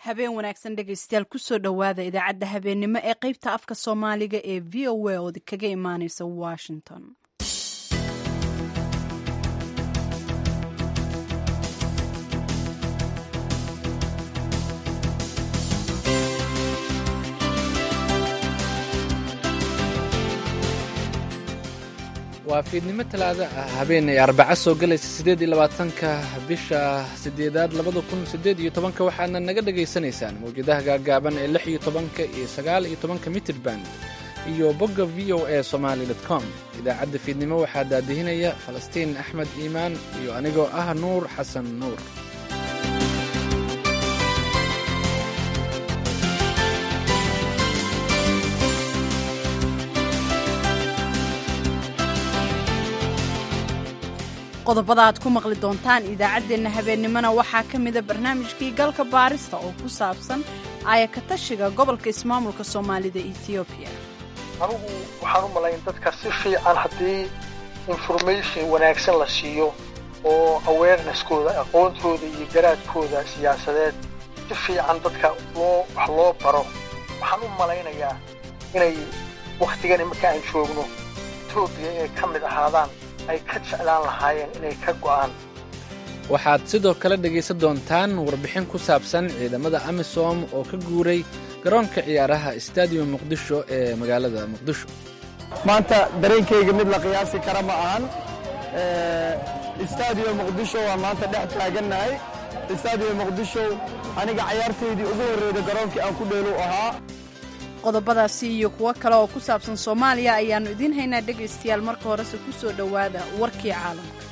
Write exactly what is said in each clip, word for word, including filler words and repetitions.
Habeen wanaagsan dhegaystayaal, kusoo dhowaada idaacadda habeennimo ee qeybta afka Soomaaliga ee V O A oo kaga imaaneysa Washington. Waa fiidnimo Talaada ah, habeenay Arbaco soo galaysa, siddeed iyo labaatanka bisha sideedaad labada kun siddeed iyo tobanka. Waxaadna naga dhagaysanaysaan mawjadaha gaagaaban ee lix iyo tobanka iyo sagaal iyo tobanka mitirban iyo bogga V O A Somali com. Idaacadda fiidnimo waxaa daadihinaya Falastiin Axmed Iimaan iyo anigoo ah Nuur Xasan Nuur. Qodobada aad ku maqli doontaan idaacaddeenna habeennimona waxaa ka mida barnaamijkii galka baarista oo ku saabsan aayakatashiga gobolka ismaamulka Soomaalida Etoobiya. Anigu waxaan u malayn dadka si fiican haddii information wanaagsan la siiyo oo awareness-kooda, aqoontooda iyo garaadkooda siyaasadeed si fiican dadka loo wax loo baro, waxaan u malaynayaa inay wakhtigan imarka aan joogno Etoobiya inay ka mid ahaadaan ay ka jeclaan lahaayeen inay ka go'aan. Waxaad sidoo kale dhegaysan doontaan warbixin ku saabsan ciidamada AMISOM oo ka guuray garoonka ciyaaraha Stadium Muqdisho ee magaalada Muqdisho. Maanta dareenkayga mid la qiyaasi kara ma ahan. Stadium Muqdisho waa maanta dhex taagannahay. Stadium Muqdisho aniga cayaartaydii ugu horreyda garoonkii aan ku dheelu ahaa. Qodobadaasi iyo kuwo kale oo ku saabsan Soomaaliya ayaannu idiin haynaa dhegaystayaal. Marka horese ku soo dhowaada warkii caalamka.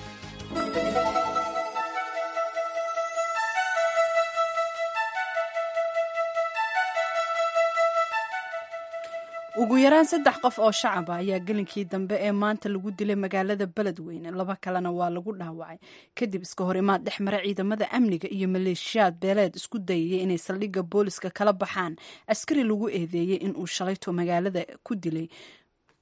Ugu yaraan saddex qof oo shacaba ayaa gelinkii dambe ee maanta lagu dilay magaalada Beledweyne, laba kalena waa lagu dhaawacay kadib iska hor imaad dhex mara ciidamada amniga iyo maleeshiyaad beeleed isku dayaya inay saldhigga booliska kala baxaan askari lagu eedeeyey inuu shalayto magaalada ku dilay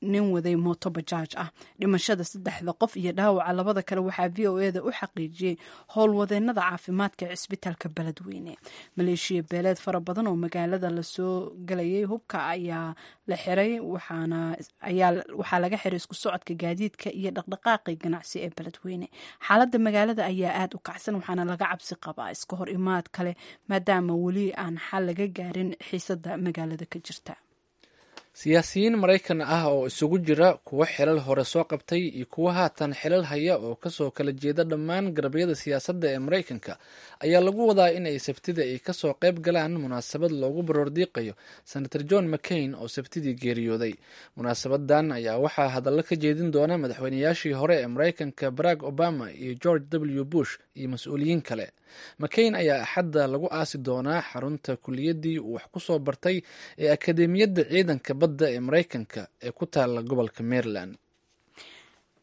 nin waday mooto bajaaj ah. Dhimashada saddexda qof iyo dhaawaca labada kale waxaa V O eda u xaqiijiyey howlwadeenada caafimaadka ee cisbitaalka Beledweyne. Maleeshiya beeleed fara badan oo magaalada lasoo galayay hubka ayaa la xiray, waxaa laga xiray isku socodka gaadiidka iyo dhaqdhaqaaqii ganacsi ee Beledweyne. Xaaladda magaalada ayaa aada u kacsan, waxaana laga cabsi qabaa iska hor imaad kale maadaama weli aan xal laga gaarin xiisada magaalada ka jirta. Siyaasiyiin Maraykan ah oo isugu jira kuwo xilal hore soo qabtay iyo kuwo haatan xilal haya oo kasoo kala jeeda dhammaan garabyada siyaasadda ee Maraykanka ayaa lagu wadaa in ay Sabtida ay kasoo qayb galaan munaasabad loogu baroordiiqayo Senator John McCain oo Sabtidii geeriyooday. Munaasabadan ayaa waxaa hadallo ka jeedin doona madaxweynayaashii hore ee Maraykanka Barack Obama iyo George W Bush iyo mas-uuliyiin kale. McCain ayaa Axadda lagu aasi doonaa xarunta kuliyaddii uu wax ku soo bartay ee Akadeemiyadda Ciidanka Badda ee Maraykanka ee ku taala gobolka Maryland.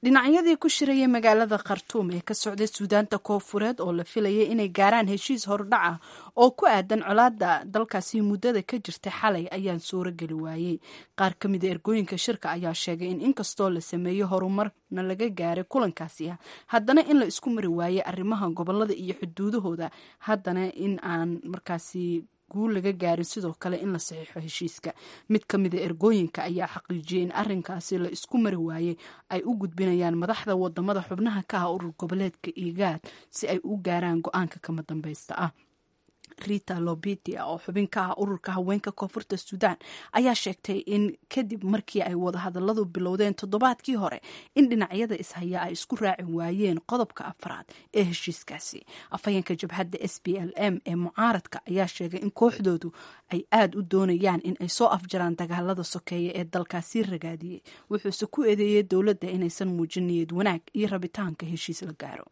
Dhinacyadii ku shirayay magaalada Khartuum ee ka socday Suudaanta Koofureed oo la filayay inay gaaraan heshiis hordhac ah oo ku aadan colaadda dalkaasi muddada ka jirtay xalay ayaan suuro geli waayey. Qaar ka mida ergooyinka shirka ayaa sheegay in inkastoo la sameeyo horumarna laga gaaray kulankaasi ah, haddana in la isku mari waayey arrimaha gobolada iyo xuduudahooda, haddana in aan markaasi guul laga gaarin sidoo kale in la saxiixo heshiiska. Mid ka mida ergooyinka ayaa xaqiijiyey in arrinkaasi la isku mari waayey ay u gudbinayaan madaxda wadamada xubnaha ka ah urur goboleedka IGAAD si ay u gaaraan go-aanka kama dambaysta ah. Rita Lobitia oo xubin ka ah ururka haweenka Koonfurta Suudaan ayaa sheegtay in kadib markii ay wadahadaladu bilowdeen toddobaadkii hore in dhinacyada ishaya ay isku raaci waayeen qodobka afraad ee heshiiskaasi. Afhayeenka jabhadda S P L M ee mucaaradka ayaa sheegay in kooxdoodu ay aada u doonayaan in ay soo afjaraan dagaalada sokeeye ee dalkaasi ragaadiyey, wuxuuse ku eedeeyey dowladda inaysan muujin niyad wanaag iyo rabitaanka heshiis la gaaro.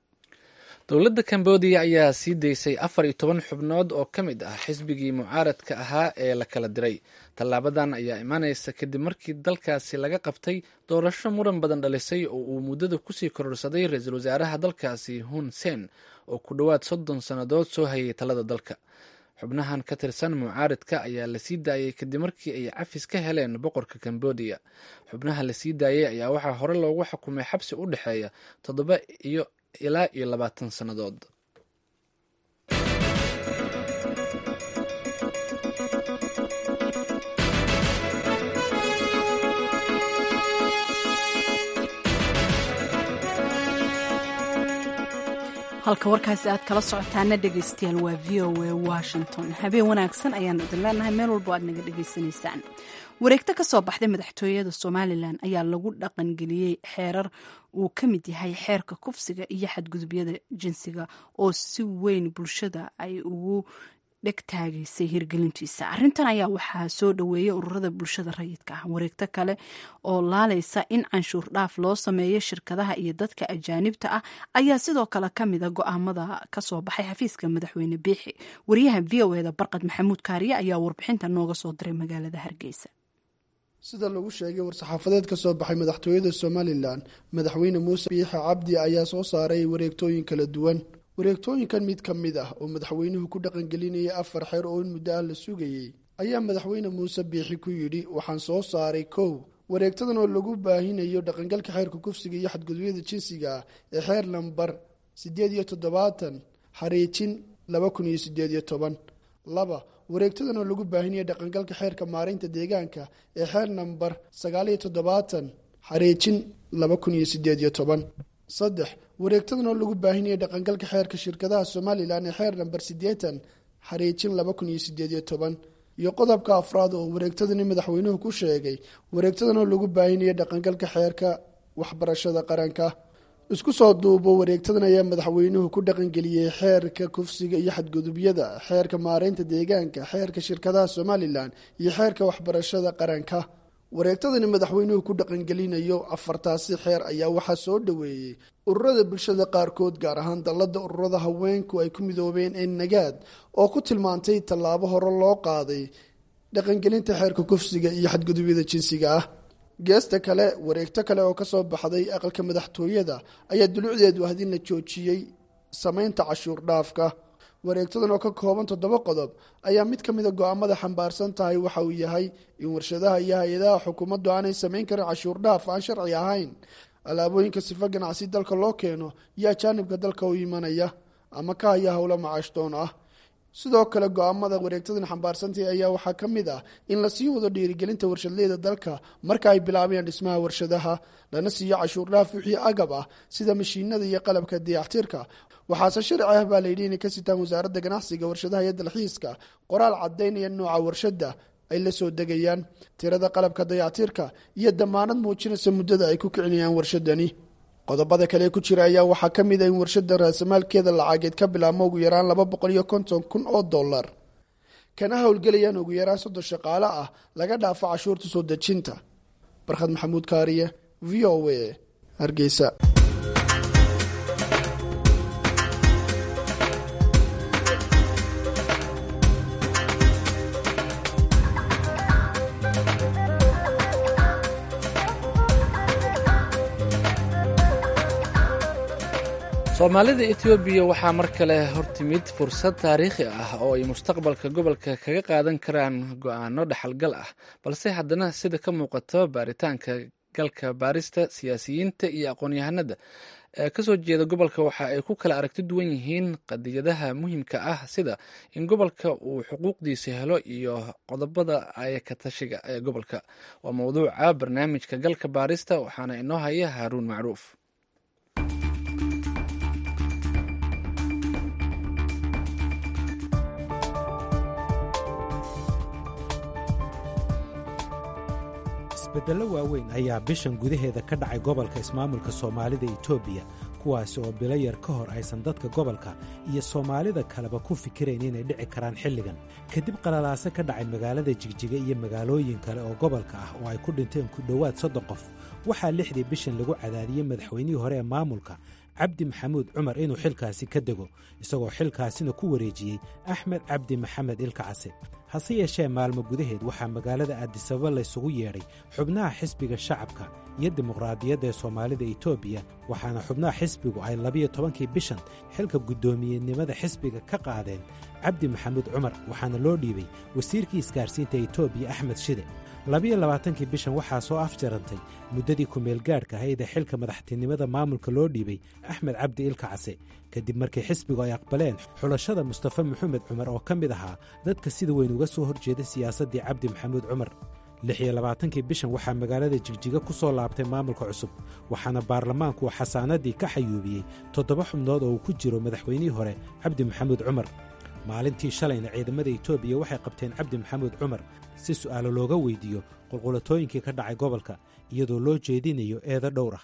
Dowladda Cambodia ayaa sii daysay afar iyo toban xubnood oo ka mid ah xisbigii mucaaradka ahaa ee la kala diray. Tallaabadan ayaa imaaneysa kadib markii dalkaasi laga qabtay doorasho muran badan dhalisay oo uu muddada kusii kororsaday ra-iisul wasaaraha dalkaasi Hun Sen oo ku dhowaad soddon sannadood soo hayay talada dalka. Xubnahan ka tirsan mucaaradka ayaa la sii daayay kadib markii ay cafis ka heleen boqorka Cambodia. Xubnaha la sii daayay ayaa waxaa hore loogu xukumay xabsi u dhexeeya toddoba iyo ilaa iyo labaatan sannadood. Halka warkaasi aad kala socotaana dhegaystayaal waa V O A Washington. Habeen wanaagsan ayaanu idin leenahay meel walbo aad naga dhegaysanaysaan. Wareegto ka soo baxday madaxtooyada Somalilan ayaa lagu dhaqangeliyey xeerar uu ka mid yahay xeerka kufsiga iyo xadgudubyada jinsiga oo si weyn bulshada ay ugu dhegtaagaysay hirgelintiisa. Arrintan ayaa waxaa soo dhoweeyay ururada bulshada rayidka ah. Wareegto kale oo laalaysa in canshuur dhaaf loo sameeyo shirkadaha iyo dadka ajaanibta ah ayaa sidoo kale ka mida go'aamada kasoo baxay xafiiska madaxweyne Biixi. Wariyaha V O eda Barqad Maxamuud Kaariye ayaa warbixinta nooga soo diray magaalada Hargeysa. Sida lagu sheegay war-saxaafadeed ka soo baxay madaxtooyada Somalilan, madaxweyne Muuse Biixi Cabdi ayaa soo saaray wareegtooyin kala duwan. Wareegtooyinkan mid ka mid ah oo madaxweynuhu ku dhaqangelinayay afar xeer oo in muddo ah la sugayey ayaa madaxweyne Muuse Biixi ku yidhi: waxaan soo saaray kow wareegtadan oo lagu baahinayo dhaqangalka xeerka kufsiga iyo xadgudubyada jinsiga ah ee xeer lambar siddeed iyo toddobaatan xariijin laba kun iyo siddeed iyo toban. Laba, wareegtadan oo lagu baahinayo dhaqangalka xeerka maareynta deegaanka ee xeer nambar sagaal iyo toddobaatan xariijin laba kun iyo siddeed iyo toban. Saddex, wareegtadan oo lagu baahinaya dhaqangalka xeerka shirkadaha Somalilan ee xeer nambar siddeetan xariijin laba kun iyo siddeed iyo toban. Iyo qodobka afraad oo wareegtadani madaxweynuhu ku sheegay wareegtadan oo lagu baahinaya dhaqangalka xeerka waxbarashada qaranka. Isku soo duubo wareegtadan ayaa madaxweynuhu ku dhaqangeliyey xeerka kufsiga iyo xadgudubyada, xeerka maareynta deegaanka, xeerka shirkadaha Somalilan iyo xeerka waxbarashada qaranka. Wareegtadani madaxweynuhu ku dhaqangelinayo afartaasi xeer ayaa waxaa soo dhoweeyey ururada bulshada qaarkood, gaar ahaan dallada ururada haweenku ay ku midoobeen ee Nagaad oo ku tilmaantay tallaabo hore loo qaaday dhaqangelinta xeerka kufsiga iyo xadgudubyada jinsiga ah. Geesta kale, wareegto kale oo kasoo baxday aqalka madaxtooyada ayaa dulucdeedu ahayd in la joojiyey samaynta cashuur dhaafka. Wareegtadan oo ka kooban toddoba qodob ayaa mid ka mida go'aamada xambaarsan tahay waxa uu yahay in warshadaha iyo hay-adaha xukuumaddu aanay samayn karin cashuur dhaaf aan sharci ahayn alaabooyinka sifo ganacsi dalka loo keeno iyo ajaanibka dalka u imanaya ama ka haya howlo macaashdoon ah. Sidoo kale go'aamada wareegtadan xambaarsantahi ayaa waxaa ka mid ah in la sii wado dhiirigelinta warshadleyda dalka marka ay bilaabayaan dhismaha warshadaha, lana siiyo cashuur dhaaf wixii agab ah sida mashiinada iyo qalabka dayactirka. Waxaase sharci ah baa layidhi inay ka sitaan wasaaradda ganacsiga, warshadaha iyo dalxiiska qoraal caddaynaya nooca warshadda ay la soo degayaan, tirada qalabka dayactirka iyo damaanad muujinaysa muddada ay ku kicinayaan warshadani. Qodobada kale ee ku jira ayaa waxaa ka mid ah in warshada raasamaalkeeda lacageed ka bilaabmo ugu yaraan laba boqol iyo konton kun oo dollar, kana howlgelayaan ugu yaraan soddon shaqaale ah, laga dhaafo cashuurta soo dejinta. Barkhad Maxamuud Kaariye, V O A, Hargeysa. Soomaalida Etoobiya waxaa mar kale hortimid fursad taariikhi ah oo ay mustaqbalka gobolka kaga qaadan karaan go'aano dhaxalgal ah, balse haddana sida ka muuqato baaritaanka galka baarista siyaasiyiinta iyo aqoon-yahanada ee kasoo jeeda gobolka waxa ay ku kala aragti duwan yihiin qadiyadaha muhiimka ah sida in gobolka uu xuquuqdiisa helo iyo qodobada ay ka tashiga ee gobolka. Waa mowduuca barnaamijka galka baarista, waxaana inoo haya Haaruun Macruuf. Isbeddello waaweyn ayaa bishan gudaheeda ka dhacay gobolka ismaamulka Soomaalida Itoobiya, kuwaasi oo bilo yar ka hor aysan dadka gobolka iyo soomaalida kaleba ku fikirayn inay dhici karaan xilligan. Kadib qalalaase ka dhacay magaalada Jigjiga iyo magaalooyin kale oo gobolka ah oo ay ku dhinteen ku dhowaad soddon qof, waxaa lixdii bishan lagu cadaadiyey madaxweynihii hore ee maamulka Cabdi Maxamuud Cumar inuu xilkaasi ka dego, isagoo xilkaasina ku wareejiyey Axmed Cabdi Maxamed Ilkacase. Hase yeeshee maalmo gudaheed waxaa magaalada Addisababa laysugu yeedhay xubnaha xisbiga shacabka iyo dimuqraadiyadda ee Soomaalida Itoobiya, waxaana xubnaha xisbigu ay labiyo tobankii bishan xilka guddoomiyenimada xisbiga ka qaadeen Cabdi Maxamuud Cumar, waxaana loo dhiibay wasiirkii isgaarsiinta Itoobiya Axmed Shide. Labiyo labaatankii bishan waxaa soo afjarantay muddadii kumeelgaadhka ahayd ee xilka madaxtinimada maamulka loo dhiibay Axmed Cabdi Ilkacase, kadib markii xisbigu ay aqbaleen xulashada Mustafa Maxamed Cumar oo ka mid ahaa dadka sida weyn uga soo horjeeda siyaasaddii Cabdi Maxamuud Cumar. Lix iyo labaatankii bishan waxaa magaalada Jigjiga ku soo laabtay maamulka cusub, waxaana baarlamaanku uu xasaanaddii ka xayuubiyey toddoba xubnood oo uu ku jiro madaxweynihii hore Cabdi Maxamuud Cumar. Maalintii shalayna ciidamada Etoobiya waxay qabteen Cabdi Maxamuud Cumar si su'aalo looga weydiiyo qulqulatooyinkii ka dhacay gobolka, iyadoo loo jeedinayo eedo dhowr ah.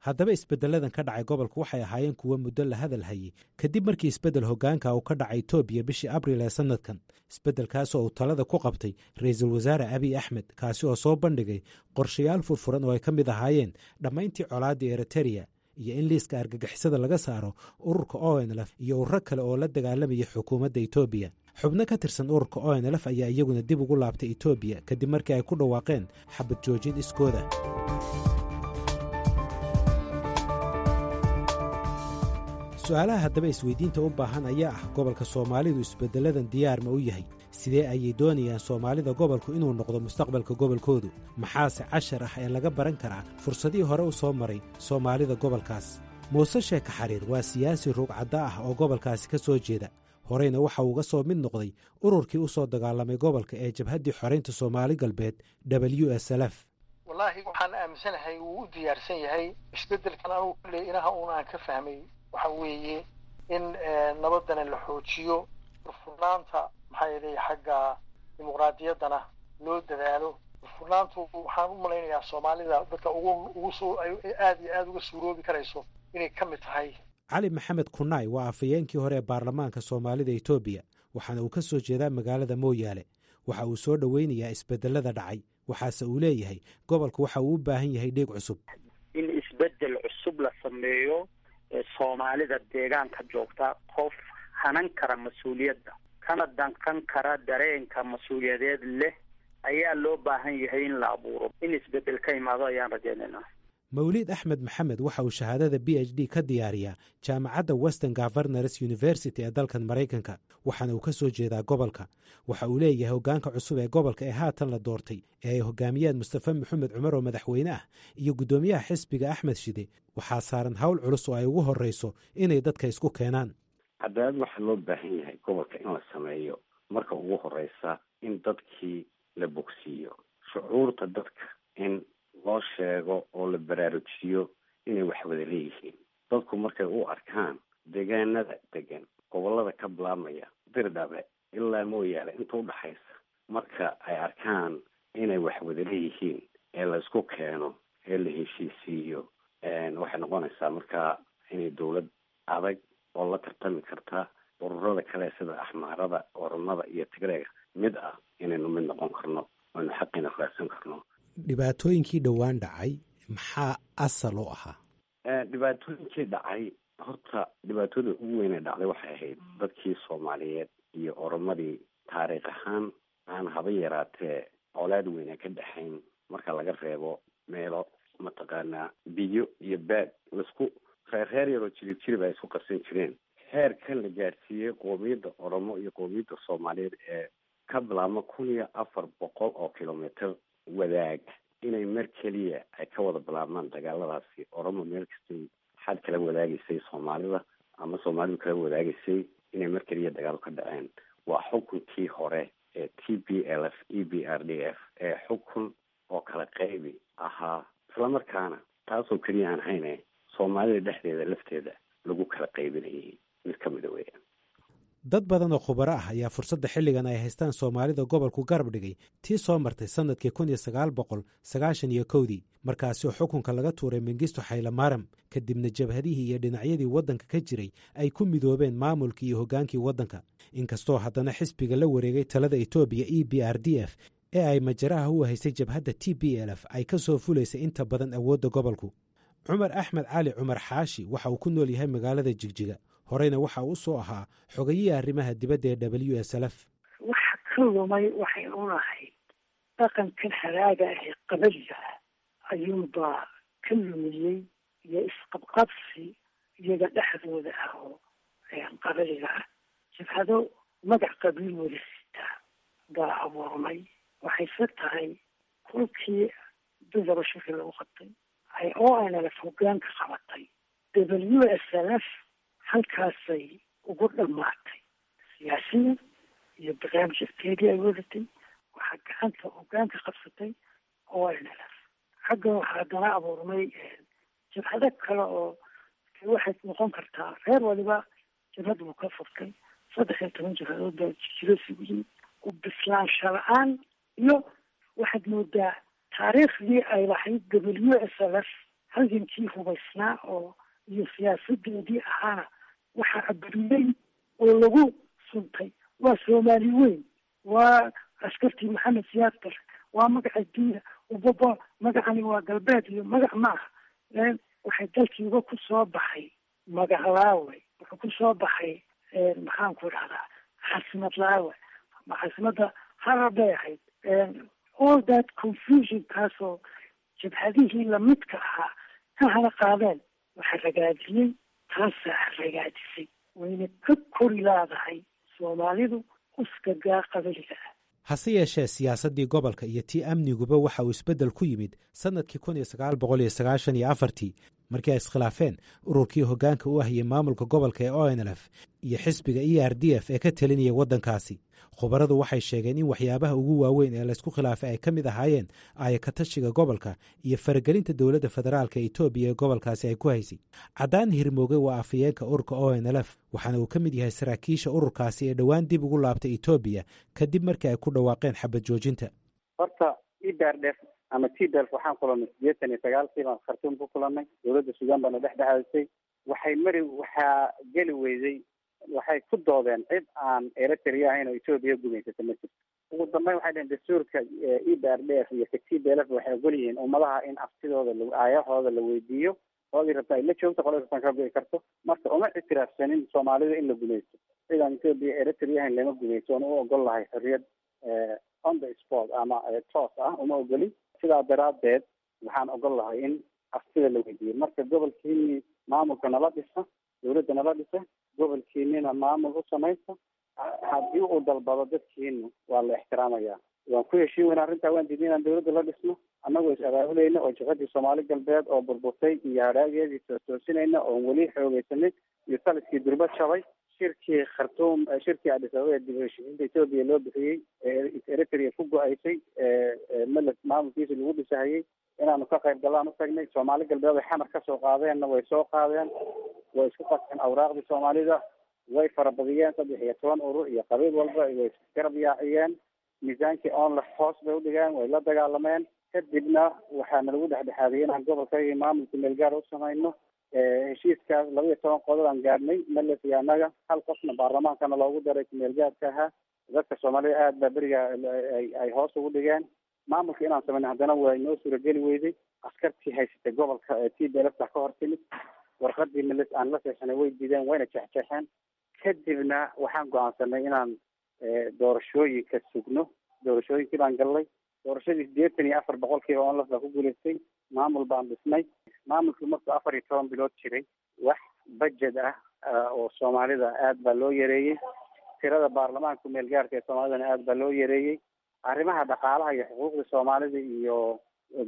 Haddaba isbeddelladan ka dhacay gobolka waxay ahaayeen kuwo muddo la hadal hayey kadib markii isbeddel hoggaanka uu ka dhacay Etoobiya bishii Abriil ee sannadkan, isbeddelkaas oo uu talada ku qabtay Ra'iisul Wasaare Abiy Axmed, kaasi oo soo bandhigay qorshayaal furfuran oo ay ka mid ahaayeen dhammayntii colaaddii Eritereya iyo in liiska argagixisada laga saaro ururka O N L F iyo ururo kale oo la dagaalamaya xukuumadda Etoobiya. Xubno ka tirsan ururka O N L F ayaa iyaguna dib ugu laabtay Etoobiya kadib markii ay ku dhawaaqeen xabad joojin iskooda. Su-aalaha haddaba isweydiinta u baahan ayaa ah: gobolka Soomaalidu isbedelladan diyaar ma u yahay? Sidee ayay doonayaan Soomaalida gobolku inuu noqdo mustaqbalka gobolkoodu? Maxaase cashar ah ee laga baran karaa fursadihii hore u soo maray Soomaalida gobolkaas? Muuse Sheeka Xariir waa siyaasi ruugcadda ah oo gobolkaasi ka soo jeeda, horeyna waxa uu uga soo mid noqday ururkii u soo dagaalamay gobolka ee Jabhaddii Xoraynta Soomaali Galbeed, W S L F. Wallaahi, waxaan aaminsanahay wuu u diyaarsan yahay isbedelkan. Anugu kulley inaha uun aan ka fahmay waxa weeye in nabadana la xoojiyo, furfurnaanta, maxaa yeelay, xagga dimuqraadiyaddana loo dadaalo. Furfurnaantu waxaan u malaynayaa Soomaalida dadka ugu ugu soo aad iyo aada uga suuroobi karayso inay ka mid tahay. Cali Maxamed Kunaay waa afhayeenkii hore ee baarlamaanka Soomaalida Etoobiya, waxaana uu ka soo jeedaa magaalada Mooyaale. Waxa uu soo dhoweynayaa isbedelada dhacay, waxaase uu leeyahay gobolku waxa uu u baahan yahay dhiig cusub. In isbedel cusub la sameeyo, Soomaalida deegaanka joogta qof hanan kara mas-uuliyadda kana danqan kara dareenka mas-uuliyadeed leh ayaa loo baahan yahay in la abuuro. In isbedel ka imaado ayaan rajaynaynaa. Mawliid Axmed Maxamed waxa uu shahaadada P H D ka diyaariyaa jaamacadda Western Governors University ee dalkan Maraykanka, waxaana uu ka soo jeedaa gobolka. Waxa uu leeyahay hoggaanka cusub ee gobolka ee haatan la doortay ee ay hogaamiyaan Mustafe Maxamed Cumar oo madaxweyne ah iyo guddoomiyaha xisbiga Axmed Shide waxaa saaran hawl culus oo ay ugu horreyso inay dadka isku keenaan. Cadaalad waxaa loo baahan yahay gobolka in la sameeyo. Marka ugu horeysa in dadkii la bogsiiyo, shucuurta dadka in loo sheego oo la baraarujiyo inay wax wada leeyihiin. Dadku markay u arkaan deegaanada degan gobolada ka bilaabmaya Dirdhabe ilaa Mooyaale inta udhaxaysa, marka ay arkaan inay wax wada leeyihiin ee la isku keeno ee la heshiisiiyo, waxay noqonaysaa markaa inay dowlad adag oo la tartami karta ururada kale sida Axmaarada, Oromada iyo Tigreega mid ah inaynu mid noqon karno, aynu xaqiina raadsan karno. Dhibaatooyinkii dhowaan dhacay maxaa asal u ahaa? Dhibaatooyinkii dhacay, horta dhibaatooda ugu weyn ee dhacday waxay ahayd dadkii Soomaaliyeed iyo Oromadii taariikh ahaan aan haba yaraatee colaad weyn ee ka dhexayn, marka laga reebo meelo mataqaanaa biyo iyo baad laisku reerreer yaroo jirib jirib ay isku qabsan jireen. Heerkan la gaadhsiiyey qoomiyadda Oromo iyo qoomiyadda Soomaaliyeed ee ka bilaabma kun iyo afar boqol oo kilomitr wadaag inay mar keliya ay ka wada bilaabmaan dagaaladaasi, Oromo meel kastay xad kala wadaagaysay Soomaalida ama Soomaalidu kala wadaagaysay, inay mar keliya dagaalo ka dhaceen, waa xukunkii hore ee T P L F E P R D F ee xukun oo kala qaybi ahaa, islamarkaana taasoo keliya aan hayne Soomaalida dhexdeeda lafteeda lagu kala qaybinayay mid ka mida weeyaan. Dad badan oo khubaro ah ayaa fursadda xilligan ay haystaan Soomaalida gobolku garab dhigay tii soo martay sannadkii kun iyo sagaal boqol sagaashan iyo kowdii, markaasi oo xukunka laga tuuray Mengistu Xaylamaram, kadibna jabhadihii iyo dhinacyadii waddanka ka jiray ay ku midoobeen maamulkii iyo hoggaankii waddanka. Inkastoo haddana xisbiga la wareegay talada Etoobiya, E B R D F, ee ay majaraha u haysay jabhadda T P L F, ay ka soo fulaysay inta badan awoodda gobolku. Cumar Axmed Cali, Cumar Xaashi, waxa uu ku nool yahay magaalada Jigjiga, horeyna waxa uu soo ahaa xogayihii arrimaha dibadda ee W S L F. Waxa ka lumay waxay unahayd dhaqankan haraaga ah ee qabaliga ah ayuunbaa ka lumiyey, iyo isqabqabsi iyaga dhexdooda ah oo qabaliga ah. Jabhado magac qabiil wada sitaa baa abuurmay. Waxayse tahay kolkii dudaba shirki lagu qabtay ay O N L F hoggaanka qabatay, W S L F halkaasay ugu dhammaatay siyaasiyan iyo barnaamijkeedii ay wadatay. Waxaa gacanta hogaanka qabsatay O N L F. Xaggan waxaa haddana abuurmay jabhado kale oo waxay noqon kartaa reer waliba jabhad buu ka furtay. Saddex iyo toban jabhadood baa jiro isugu yimid. U bislaansha la-aan iyo waxaad moodaa taariikhdii ay lahayd W S L F, halgankii hubaysnaa oo iyo siyaasadeedii ahaana, waxaa aburiyey oo lagu suntay waa Soomaali weyn, waa askartii Maxamed Siyaad Bare, waa magaca diina ubaba, magacani waa galbeed iyo magac ma aha. Waxay dalkiiba ku soo baxay magac laawe, wuxuu ku soo baxay, maxaan ku dhahdaa, caasimad laawe. Caasimadda Harar bay ahayd. All that confusion kaasoo jabhadihii lamidka ahaa ka hana qaadeen, waxaa ragaadiyey, taasaa ragaadisay, wayna ka kori laadahay Soomaalidu uskagaa qabiliga ah. Hase yeeshee, siyaasaddii gobolka iyo tii amniguba waxa uu isbeddel ku yimid sannadkii kun iyo sagaal boqol iyo sagaashan iyo afartii, markii ay iskhilaafeen ururkii hoggaanka u ahiyey maamulka gobolka ee O N L F iyo xisbiga E R D F ee ka telinaya waddankaasi. Khubaradu waxay sheegeen in waxyaabaha ugu waaweyn ee laysku khilaafay ay ka mid ahaayeen aayakatashiga gobolka iyo faragelinta dowladda federaalka Etoobiya ee gobolkaasi ay ku haysay. Caddaan Hirmooge waa afhayeenka ururka O N L F, waxaana uu ka mid yahay saraakiisha ururkaasi ee dhowaan dib ugu laabtay Etoobiya kadib markii ay ku dhawaaqeen xabad joojinta. Horta E B R D F ama T P L F waxaan kulanay sideetan iyo sagaalkii baan Khartuum ku kulannay. Dowladda Suudaan baana dhex dhexaysay. Waxay mari waxaa geli weyday, waxay ku doodeen cid aan Eritrea ahayn oo Etoobiya gumaysata ma jirto. Ugu dambeyn waxay dhaheen dastuurka E B R D F iyo ka T P L F waxay ogol yihiin ummadaha in aftidooda aayahooda la weydiiyo, qoladii rabta ay la joogto, qoladii rabtaan ka go'i karto. Marka uma ictiraafsanin Soomaalida in la gumaysto. Cid aan Etoobiya, Eritrea ahayn lama gumaysto, oona u ogol lahay xorriyad on the spot ama toos ah uma ogolin. Sidaa daraaddeed waxaan ogol lahay in aftida la weydiiyo. Marka gobolkiini maamulka nala dhisa, dowladda nala dhisa, gobolkiinina maamul u samaysta, haddii uu dalbado dadkiinu waa la ixtiraamaya. Waan ku heshiin weyna arrintaa, waan diidnay inaan dowladda la dhisno, annagoo is abaabulayna oo jabhadii Soomaali Galbeed oo burburtay iyo hadhaageedii toostoosinayna oon weli xoogeysanin iyo taliskii durba jabay. Shirkii Khartuum, shirkii Addis Ababa ee dib u heshiisiinta Etoobiya loo bixiyey ee Eritrea ku go-aysay, Meles maamulkiisa lagu dhisahayey, inaanu ka qayb gallaan u tagnay. Soomaali Galbeed ay Xamar kasoo qaadeenna way soo qaadeen, way isku qaseen awraaqdii Soomaalida, way farabadiyeen, saddex iyo toban urur iyo qabiil walba way isgarab yaaciyeen. Miisaankii onlef hoos bay udhigeen, way la dagaalameen. Kadibna waxaana lagu dhexdhexaadiyey inaan gobolka iyo maamulka meelgaar u samayno. Heshiiskaas laba iyo toban qodob aan gaadhnay Meles iyo annaga, hal qofna baarlamaankana loogu daray kumeelgaarka ahaa. Dadka Soomaalida aad baa beriga ay hoos ugu dhigeen maamulka inaan samayno. Haddana waa inoo suurageli weyday. Askartii haysatay gobolka ee T P L F ka hor timid, warqadii Meles aan la seexanay way diideen, wayna jeexjeexeen. Kadibna waxaan go-aansanay inaan doorashooyinka sugno. Doorashooyinkii baan gallay. Doorashadii sideetan iyo afar boqolkiiba ONLF baa ku guulaystay. Maamul baan dhisnay. Maamulkii markuu afar iyo toban bilood jiray, wax budget ah oo Soomaalida aad baa loo yareeyey, tirada baarlamaanka kumeel gaarka ee Soomaalidana aad baa loo yareeyey. Arrimaha dhaqaalaha iyo xuquuqda Soomaalida iyo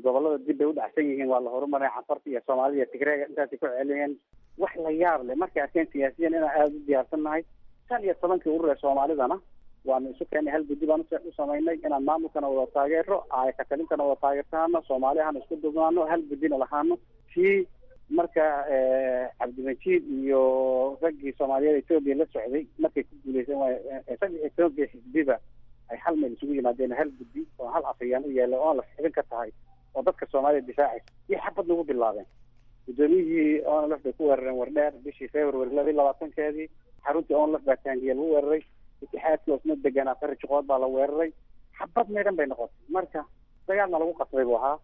gobolada dib bay u dhacsan yihiin, waa la horumaray. Canfarta iyo Soomaalida iyo Tigreega intaasay ku celiyeen. Wax la yaab leh markay arkeen siyaasiyan inaan aada u diyaarsan nahay, shan iyo tobankii urur ee Soomaalidana waanu isu keennay, hal guddi baan u samaynay inaan maamulkana wada taageero, aayakatalintana wada taageertaano, Soomaali ahana isku dubnaano, hal guddina lahaano. Kii marka Cabdimajiid iyo raggii Soomaaliyeed Etoobiya la socday markay ku guuleysan waay, saddex iyo tobankii xisbiba ay hal meel isugu yimaadeen, hal guddi oo hal afayaan u yeelay oon la xibin ka tahay oo dadka Soomaalida difaacaysa iyo xabad nagu bilaabeen. Guddoomiyihii ONLF bay ku weerareen Wardheer bishii February laba iyo labaatankeedii. Xaruntii ONLF baa taangiya lagu weeraray. Itixaadkii oosna deganaa Qari Juqood baa la weeraray. Xabad meedhan bay noqotay. Marka dagaalna lagu qasbay buu ahaa.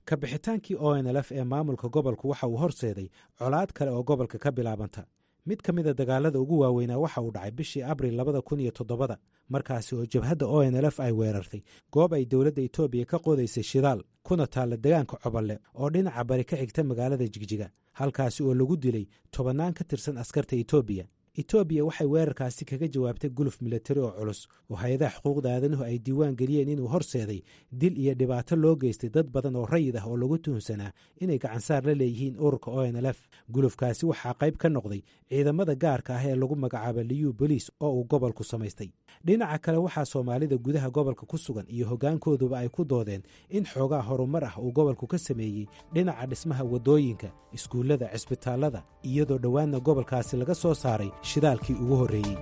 Ka bixitaankii O N L F ee maamulka gobolku waxa uu horseeday colaad kale oo gobolka ka bilaabanta. Mid ka mida dagaalada ugu waaweynaa waxa uu dhacay bishii Abril labada kun iyo toddobada, markaasi oo jabhadda O N L F ay weerartay goob ay dowladda Etoobiya ka qodaysay shidaal, kuna taalla degaanka Coballe oo dhinaca bari ka xigta magaalada Jigjiga, halkaasi oo lagu dilay tobannaan ka tirsan askarta Etoobiya. Etoobiya waxay weerarkaasi kaga jawaabtay guluf milatari oo culus oo hay-adaha xuquuqda aadanuhu ay diiwaan geliyeen inuu horseeday dil iyo dhibaato loo geystay dad badan oo rayid ah oo lagu tuhunsanaa inay gacansaar la leeyihiin ururka O N L F. Gulufkaasi waxaa qayb ka noqday ciidamada gaarka ah ee lagu magacaabo Liyu Boliis oo uu gobolku samaystay. Dhinaca kale, waxaa Soomaalida gudaha gobolka ku sugan iyo hoggaankooduba ay ku doodeen in xoogaa horumar ah uu gobolku ka sameeyey dhinaca dhismaha waddooyinka, iskuullada, cisbitaallada, iyadoo dhowaanna gobolkaasi laga soo saaray shidaalkii ugu horreeyey.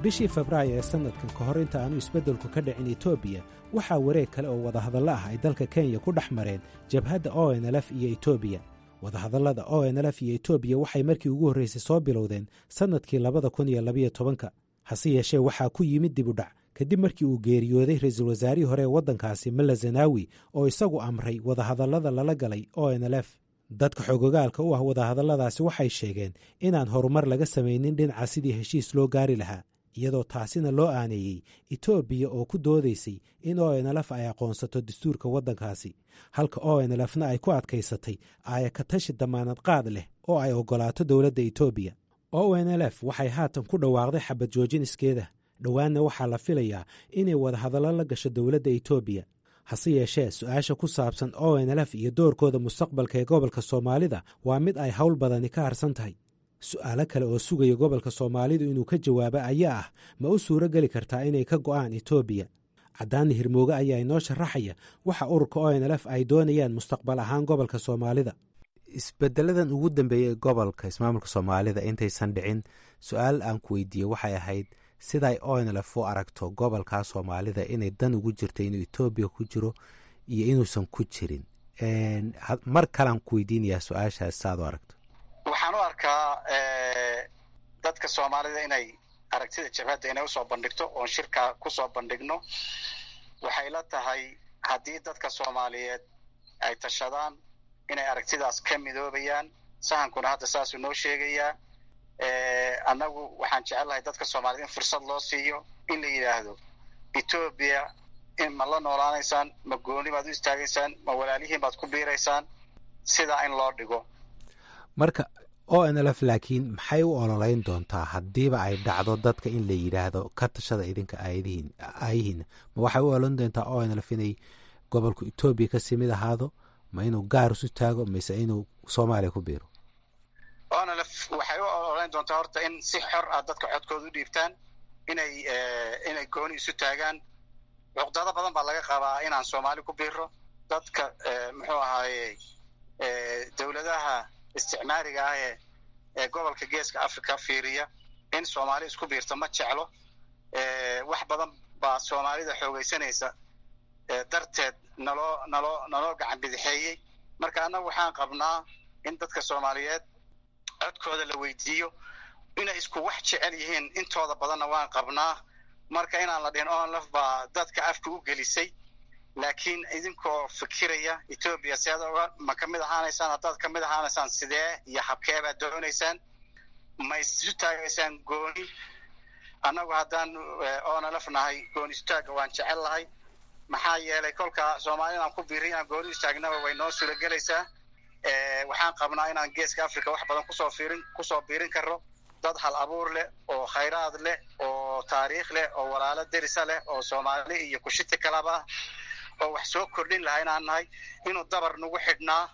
Bishii Febraayo ee sannadkan, ka hor inta aanu isbeddelku ka dhicin Etoobiya, waxaa wareeg kale oo wadahadallo ah ay dalka Kenya ku dhex mareen jabhadda O N L F iyo Etoobiya. Wadahadallada O N L F iyo Etoobiya waxay markii ugu horreysay soo bilowdeen sannadkii labada kun iyo labayo tobanka. Hase yeeshee, waxaa ku yimid dib u dhac kadib markii uu geeriyooday ra-iisul wasaarihii hore ee waddankaasi, Meles Zenawi, oo isagu amray wadahadallada lala galay O N L F. Dadka xogogaalka u ah wadahadalladaasi waxay sheegeen inaan horumar laga samaynin dhinaca sidii heshiis loo gaari lahaa, iyadoo taasina loo aaneeyey Etoobiya oo ku doodaysay in O N L F ay aqoonsato dastuurka waddankaasi, halka O N L Fna ay ku adkaysatay aayakatashi damaanad qaad leh oo ay oggolaato dowladda Etoobiya. O N L F waxay haatan ku dhawaaqday xabad joojin iskeeda, dhowaanna waxaa la filayaa inay wadahadallo la gasho dowladda Etoobiya. Hase yeeshee, su-aasha ku saabsan O N L F iyo doorkooda mustaqbalka ee gobolka Soomaalida waa mid ay howl badani ka harsan tahay. Su-aalo kale oo sugaya gobolka Soomaalidu inuu ka jawaabo ayaa ah: ma u suuro geli kartaa inay ka go'aan Etoobiya? Caddaani Hirmooge ayaa inoo sharaxaya waxa ururka O N L F ay doonayaan mustaqbal ahaan gobolka Soomaalida. Isbedeladan ugu dambeeyey ee gobolka ismaamulka Soomaalida intaysan dhicin, su-aal aan ku weydiiyey waxay ahayd siday O N L F u aragto gobolka Soomaalida, inay dan ugu jirto inuu Etoobiya ku jiro iyo inuusan ku jirin. Mar kalean ku weydiinayaa su-aashaas, saad u aragto. Waxaan u arkaa dadka Soomaalida inay aragtida jabhadda inay usoo bandhigto oon shirka kusoo bandhigno. Waxay la tahay haddii dadka Soomaaliyeed ay tashadaan inay aragtidaas ka midoobayaan. Sahankuna hadda saasuu noo sheegayaa. Annagu waxaan jecelnahay dadka Soomaaliyed in fursad loo siiyo in la yidhaahdo: Etoobiya in ma la noolaanaysaan, ma gooni baad u istaagaysaan, ma walaalihiin baad ku biiraysaan? Sidaa in loo dhigo. Marka O N L F laakiin maxay u ololeyn doontaa haddiiba ay dhacdo dadka in la yidhaahdo ka tashada idinka aayadihiin aayihiina? Ma waxay u ololeyn doontaa O N L F inay gobolku Etoobiya kasii mid ahaado, ma inuu gaar isu taago, mise inuu Soomaaliya ku biiro? O N L F waxay u ololeyn doontaa horta in si xor ah dadka codkooda u dhiibtaan, inay inay gooni isu taagaan. Cuqdado badan baa laga qabaa inaan Soomaali ku biiro. Dadka, muxuu ahaaye, dowladaha isticmaariga ah ee ee gobolka Geeska Africa fiiriya in Soomaali isku biirto ma jeclo. Wax badan baa Soomaalida xoogaysanaysa darteed naloo naloo naloo gacan bidixeeyey. Marka annagu waxaan qabnaa in dadka Soomaaliyeed codkooda la weydiiyo. Inay isku wax jecel yihiin intooda badanna waan qabnaa. Marka inaan la dhihin O N L F baa dadka afka u gelisay, laakiin idinkoo fikiraya Etoobiya seed oga ma ka mid ahaanaysaan, haddaad ka mid ahaanaysaan sidee iyo habkee baad doonaysaan, ma isu taagaysaan gooni? Annagu haddaan O N L F nahay, gooni istaagga waan jecel lahay. Maxaa yeelay, kolka Soomaali inaan ku biirin, inaan gooni istaagnaba way noo suuragelaysaa. Waxaan qabnaa inaan Geeska Africa wax badan kusoo fiirin kusoo biirin karno, dad hal abuur leh oo khayraad leh oo taariikh leh oo walaalo derisa leh oo Soomaali iyo kushiti kalaba ah oo wax soo kordhin lahaa inaan nahay, inuu dabar nagu xidhnaa.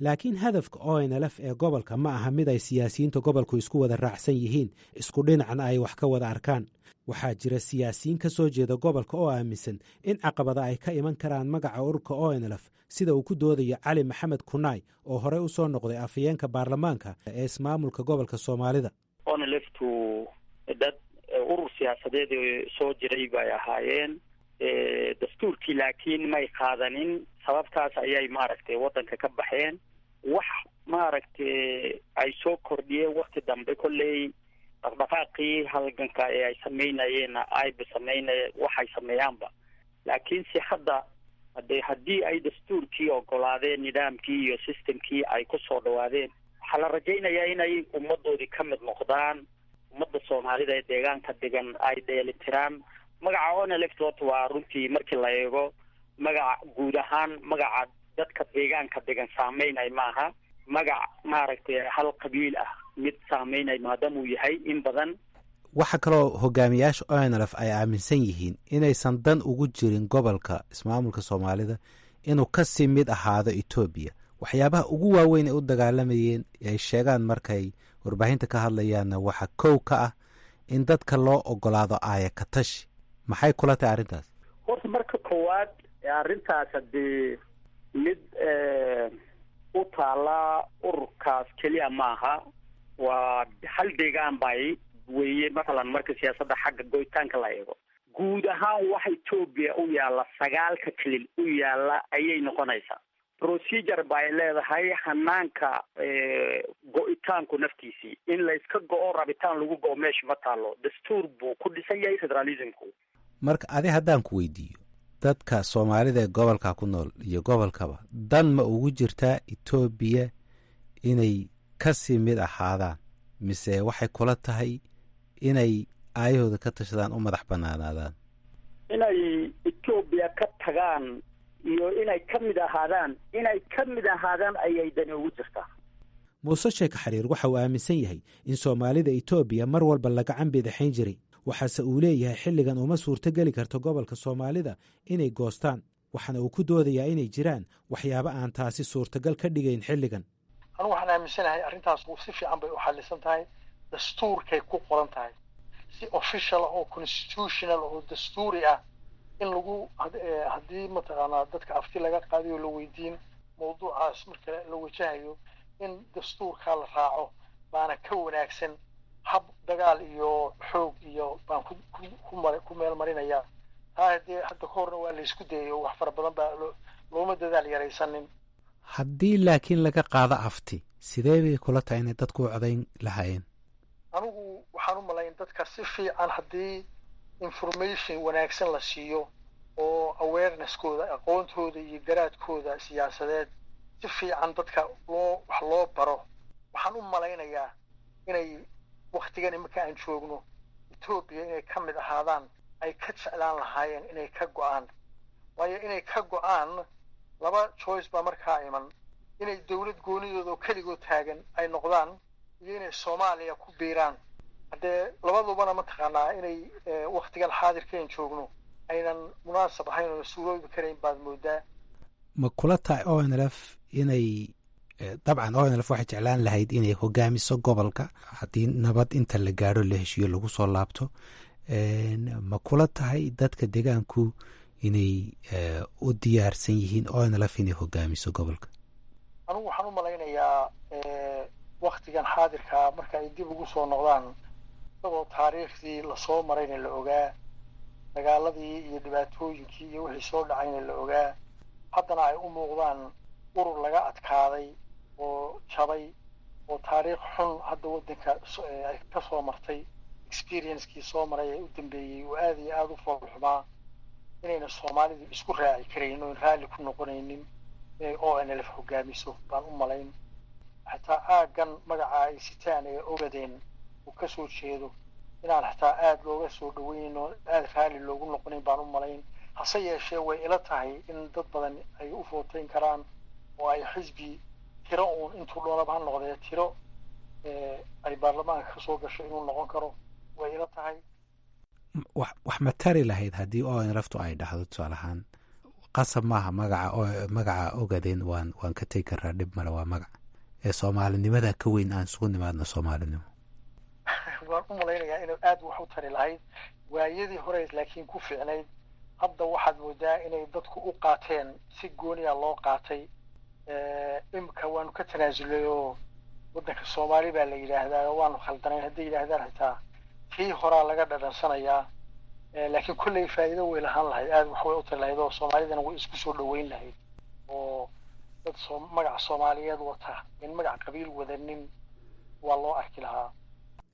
Laakiin hadafka O N L F ee gobolka ma aha mid ay siyaasiyiinta gobolku isku wada raacsan yihiin, isku dhinacna ay wax ka wada arkaan. Waxaa jira siyaasiyiin ka soo jeeda gobolka oo aaminsan in caqabada ay ka iman karaan magaca ururka O N L F, sida uu ku doodayo Cali Maxamed Kunaay oo horey u soo noqday afhayeenka baarlamaanka ee ismaamulka gobolka Soomaalida. O N L F tu dad urur siyaasadeed soo jiray bay ahaayeen. Dastuurkii laakiin may qaadanin, sababtaas ayay maaragtay waddanka ka baxeen. Wax maaragtay ay soo kordhiyeen wakti dambe kolley dhaqdhaqaaqii halganka ee ay samaynayeenna ayba samaynay waxay sameeyaanba. Laakiinse hadda hade haddii ay dastuurkii ogolaadeen, nidaamkii iyo systemkii ay kusoo dhawaadeen, waxaa la rajaynayaa inay ummadoodii ka mid noqdaan, ummadda Soomaalida ee deegaanka degan ay dheelitiraan. Magaca O N L F horta waa runtii markii la eego magaca guud ahaan, magaca dadka deegaanka degan saameynay maaha, magac maaragtay hal qabiil ah mid saameynay maadaama uu yahay in badan. Waxaa kaloo hogaamiyaasha O N L F ay aaminsan yihiin inaysan dan ugu jirin gobolka ismaamulka Soomaalida inuu kasii mid ahaado Etoobiya. Waxyaabaha ugu waaweyn ay u dagaalamayeen ay sheegaan markay warbaahinta ka hadlayaanna waxaa kow ka ah in dadka loo ogolaado aaya ka tashi. Maxay kula tahay arrintaas? Horta marka koowaad arrintaas haddii mid u taala ururkaas keliya maaha, waa hal deegaan bay weeye. Mathalan marka siyaasadda xagga goytaanka la eego, guud ahaan waxa Etoobiya u yaalla sagaalka kelil u yaalla ayay noqonaysaa. Procedure bay leedahay hanaanka go-itaanku naftiisii, in layska go-o rabitaan lagu go-o meesha ma taalo. Dastuur buu ku dhisan yahay federalismku. Marka adi haddaan ku weydiiyo, dadka soomaalida ee gobolka ku nool iyo gobolkaba dan ma ugu jirtaa Etoobiya inay kasii mid ahaadaan, mise waxay kula tahay inay aayahooda ka tashadaan, u madax banaanaadaan? Inay Etoobiya ka tagaan iyo inay ka mid ahaadaan, inay ka mid ahaadaan ayay dani ugu jirtaa. Muuse Sheekh Xariir waxa uu aaminsan yahay in soomaalida Etoobiya mar walba laga cambidaxayn jiray, waxaase uu leeyahay xilligan uma suurtogeli karto gobolka soomaalida inay goostaan, waxaana uu ku doodayaa inay jiraan waxyaabo aan taasi suurtagal ka dhigayn xilligan. Anugu waxaan aaminsanahay arrintaas si fiican bay u xallisan tahay, dastuurkay ku qoran tahay si official ah oo constitutional oo dastuuri ah in lagu haddii mataqaanaa dadka afti laga qaadayo la weydiin mawduucaas marka la wajahayo in dastuurkaa la raaco baana ka wanaagsan hab dagaal iyo xoog iyo baan ku ku mar ku meel marinaya. Taa haddii hadda ka horna waa laysku dayay oo wax fara badan baa looma dadaal yaraysanin. Haddii laakiin laga qaado afti, sidee bay kula tahay inay dadku u codayn lahaayeen? Anigu waxaan u malayn dadka si fiican haddii information wanaagsan la siiyo oo awareness-kooda, aqoontooda iyo garaadkooda siyaasadeed si fiican dadka loo wax loo baro, waxaan u malaynayaa inay waktigan iminka aan joogno Etoobiya inay ka mid ahaadaan ay ka jeclaan lahaayeen inay ka go-aan. Waayo inay ka go-aan laba choice baa markaa iman: inay dawlad goonidooda oo keligood taagan ay noqdaan iyo inay Soomaaliya ku biiraan. Haddee labadubana mataqaanaa inay waktigan xaadirkaen joogno aynan munaasab ahayn oona suuroobi karayn baad moodaa. Ma kula tahay O N L F inay dabcan O N L F waxay jeclaan lahayd inay hogaamiso gobolka haddii nabad inta la gaadho la heshiiyo lagu soo laabto? Ma kula tahay dadka deegaanku inay u diyaarsan yihiin O N L F inay hogaamiso gobolka? Anigu waxaan u malaynayaa waktigan xaadirkaa marka ay dib ugu soo noqdaan, isagoo taariikhdii lasoo marayna la ogaa, dagaaladii iyo dhibaatooyinkii iyo wixii soo dhacayna la ogaa, haddana ay u muuqdaan urur laga adkaaday oo jabay oo taariikh xun hadda waddanka ay ka soo martay, experiencekii soo maray ee u dambeeyey oo aada iyo aada u foolxumaa, inayna soomaalidu isku raaci karayn oon raalli ku noqonaynin inay O N L F hogaamiso baan u malayn. Xataa aaggan magaca ay sitaan ee Ogadeen uu ka soo jeedo inaan xataa aada looga soo dhaweynin oo aada raalli loogu noqonayn baan u malayn. Hase yeeshee way ila tahay in dad badan ay u footeyn karaan oo ay xisbi tiro uun intuu doonaba ha noqdee tiro ay baarlamaanka kasoo gasho inuu noqon karo way ila tahay. Wax wax ma tari lahayd haddii O N L F tu ay dhahdo tusaale ahaan qasab maaha magaca magaca Ogadeen waan waan ka tegi karaa, dhib male, waa magac ee soomaalinimada ka weyn, aan isugu nimaadno soomaalinimo? Waan u malaynayaa inay aada wax u tari lahayd waayadii hore, laakiin ku fiicnayd. Hadda waxaad moodaa inay dadku u qaateen si gooniya loo qaatay. Imika waanu ka tanaasulay oo waddanka Soomaali baa la yidhaahdaa, waanu khaldanayn hadday yidhaahdaan xitaa tii horaa laga dhadhansanayaa. Laakiin kolley faa'iido way lahaan lahayd, aada wax way u tari lahayd oo soomaalidana way isku soo dhaweyn lahayd oo dad soo magaca soomaaliyeed wata in magac qabiil wadanin waa loo arki lahaa.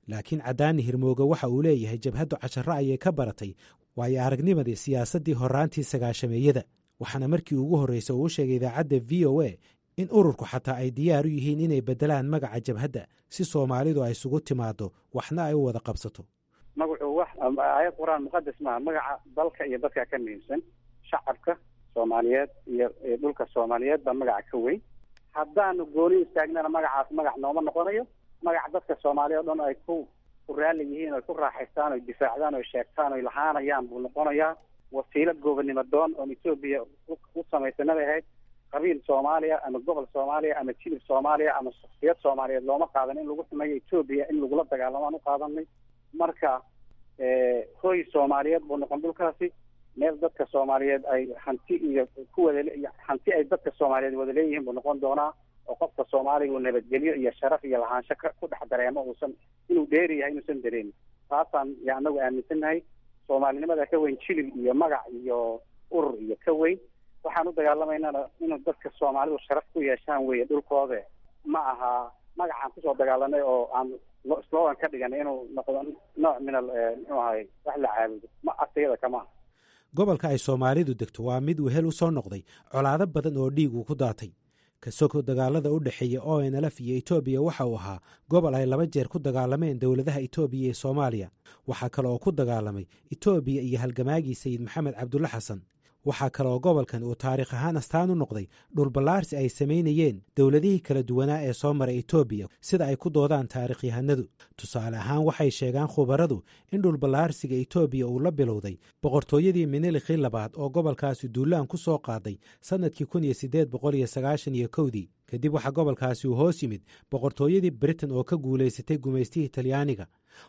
Laakiin Cadaani Hirmooge waxa uu leeyahay jabhaddu casharo ayay ka baratay waayo aragnimadii siyaasaddii horraantii sagaashameeyada, waxaana markii ugu horreysay uu u sheegay idaacadda V O A in ururku xataa ay diyaar u yihiin inay beddelaan magaca jabhadda si soomaalidu ay isugu timaaddo waxna ay u wada qabsato. Magacu wax aayad qur-aan muqadas maaha, magaca dalka iyo dadka ka muhiimsan, shacabka soomaaliyeed iyo dhulka soomaaliyeed baa magaca ka weyn. Haddaanu gooni istaagnana magacaas magac nooma noqonayo, magac dadka soomaaliya o dhan ay ku ku raalli yihiin oy ku raaxaystaan oy difaacdaan oy sheegtaan oy lahaanayaan buu noqonayaa. Wasiilo goobannimo doon oon Etoobiya u samaysanabay ahayd, Qabiil Soomaaliya ama gobol Soomaaliya ama jilib Soomaaliya ama shaksiyad Soomaaliyeed looma qaadan in lagu xumeeyo Etoobiya, in lagula dagaalamo aan u qaadanay. Marka hooy Soomaaliyeed buu noqon dhulkaasi, meel dadka Soomaaliyeed ay hanti iyo ku wada hanti ay dadka Soomaaliyeed wada leeyihiin buu noqon doonaa, oo qofka Soomaaliga uu nabadgelyo iyo sharaf iyo lahaansho ku dhex dareemo, uusan inuu dheeri yahay inuusan dareemin. Taasaan ya anagu aaminsannahay. Soomaalinimada ka weyn jilib iyo magac iyo urur iyo ka weyn. Waxaan u dagaalamaynana inuu dadka Soomaalidu sharaf ku yeeshaan weeye dhulkooda, ma aha magacaan kusoo dagaalanay oo aan slogan ka dhiganay inuu noqdo nooc min al muxuu ahay wax la caabudo, ma agtayada kama aha. Gobolka ay Soomaalidu degto waa mid wehel u soo noqday colaado badan oo dhiig uu ku daatay. Kasoko dagaalada u dhexeeya O N L F iyo Etoobiya, waxa uu ahaa gobol ay laba jeer ku dagaalameen dowladaha Etoobiya iyo Soomaaliya. Waxaa kale oo ku dagaalamay Etoobiya iyo halgamaagii Sayid Maxamed Cabdulle Xasan. Waxaa kale oo gobolkan uu taariikh ahaan astaan u noqday dhulballaarsi ay samaynayeen dowladihii kala duwanaa ee soo maray Etoobiya, sida ay ku doodaan taariikhyahanadu. Tusaale ahaan, waxay sheegaan khubaradu in dhulballaarsiga Etoobiya uu la bilowday boqortooyadii Minilikii labaad oo gobolkaasi duulaan ku soo qaaday sannadkii kun iyo siddeed boqol iyo sagaashan iyo kowdii. Kadib waxaa gobolkaasi uu hoos yimid boqortooyadii Britain oo ka guulaysatay gumaystihii Talyaaniga.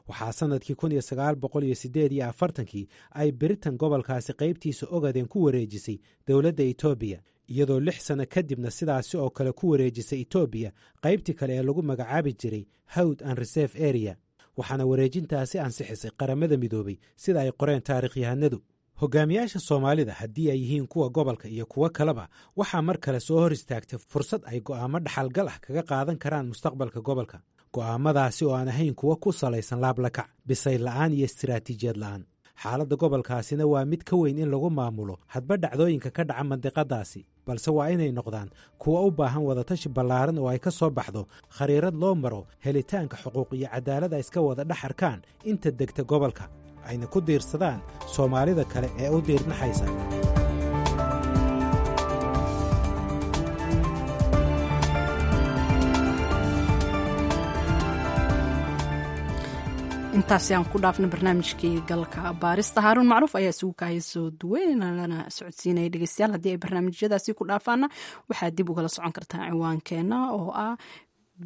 Waxaa sannadkii kun iyo sagaal boqol iyo siddeed iyo afartankii ay Britain gobolkaasi qaybtiisa Ogaden ku wareejisay dowladda Etoobiya, iyadoo lix sano kadibna sidaasi oo kale ku wareejisay Etoobiya qaybtii kale ee lagu magacaabi jiray Hawd and Reserve Area. Waxaana wareejintaasi ansixisay Qaramada Midoobay, sida ay qoreen taariikhyahanadu. Hogaamiyaasha Soomaalida, haddii ay yihiin kuwa gobolka iyo kuwo kaleba, waxaa mar kale soo hor istaagtay fursad ay go'aamo dhaxalgal ah kaga qaadan karaan mustaqbalka gobolka, go'aamadaasi oo aan ahayn kuwo ku salaysan laablakac, bisayl la'aan iyo istiraatiijiyad la'aan. Xaaladda gobolkaasina waa mid ka weyn in lagu maamulo hadba dhacdooyinka ka dhaca mandiqadaasi, balse waa inay noqdaan kuwa u baahan wadatashi ballaaran oo ay ka soo baxdo khariirad loo maro helitaanka xuquuq iyo cadaalad ay iska wada dhex arkaan inta degta gobolka, ayna ku diirsadaan Soomaalida kale ee u diirnaxaysa. Intaasi aan ku dhaafna barnaamijkii galka baarista. Haaruun Macruuf ayaa isugu kaaya soo duweyn lana socodsiinaya. Dhegeystayaal, haddii ay barnaamijyadaasi ku dhaafaana, waxaad dib ugala socon kartaa ciwaankeena oo ah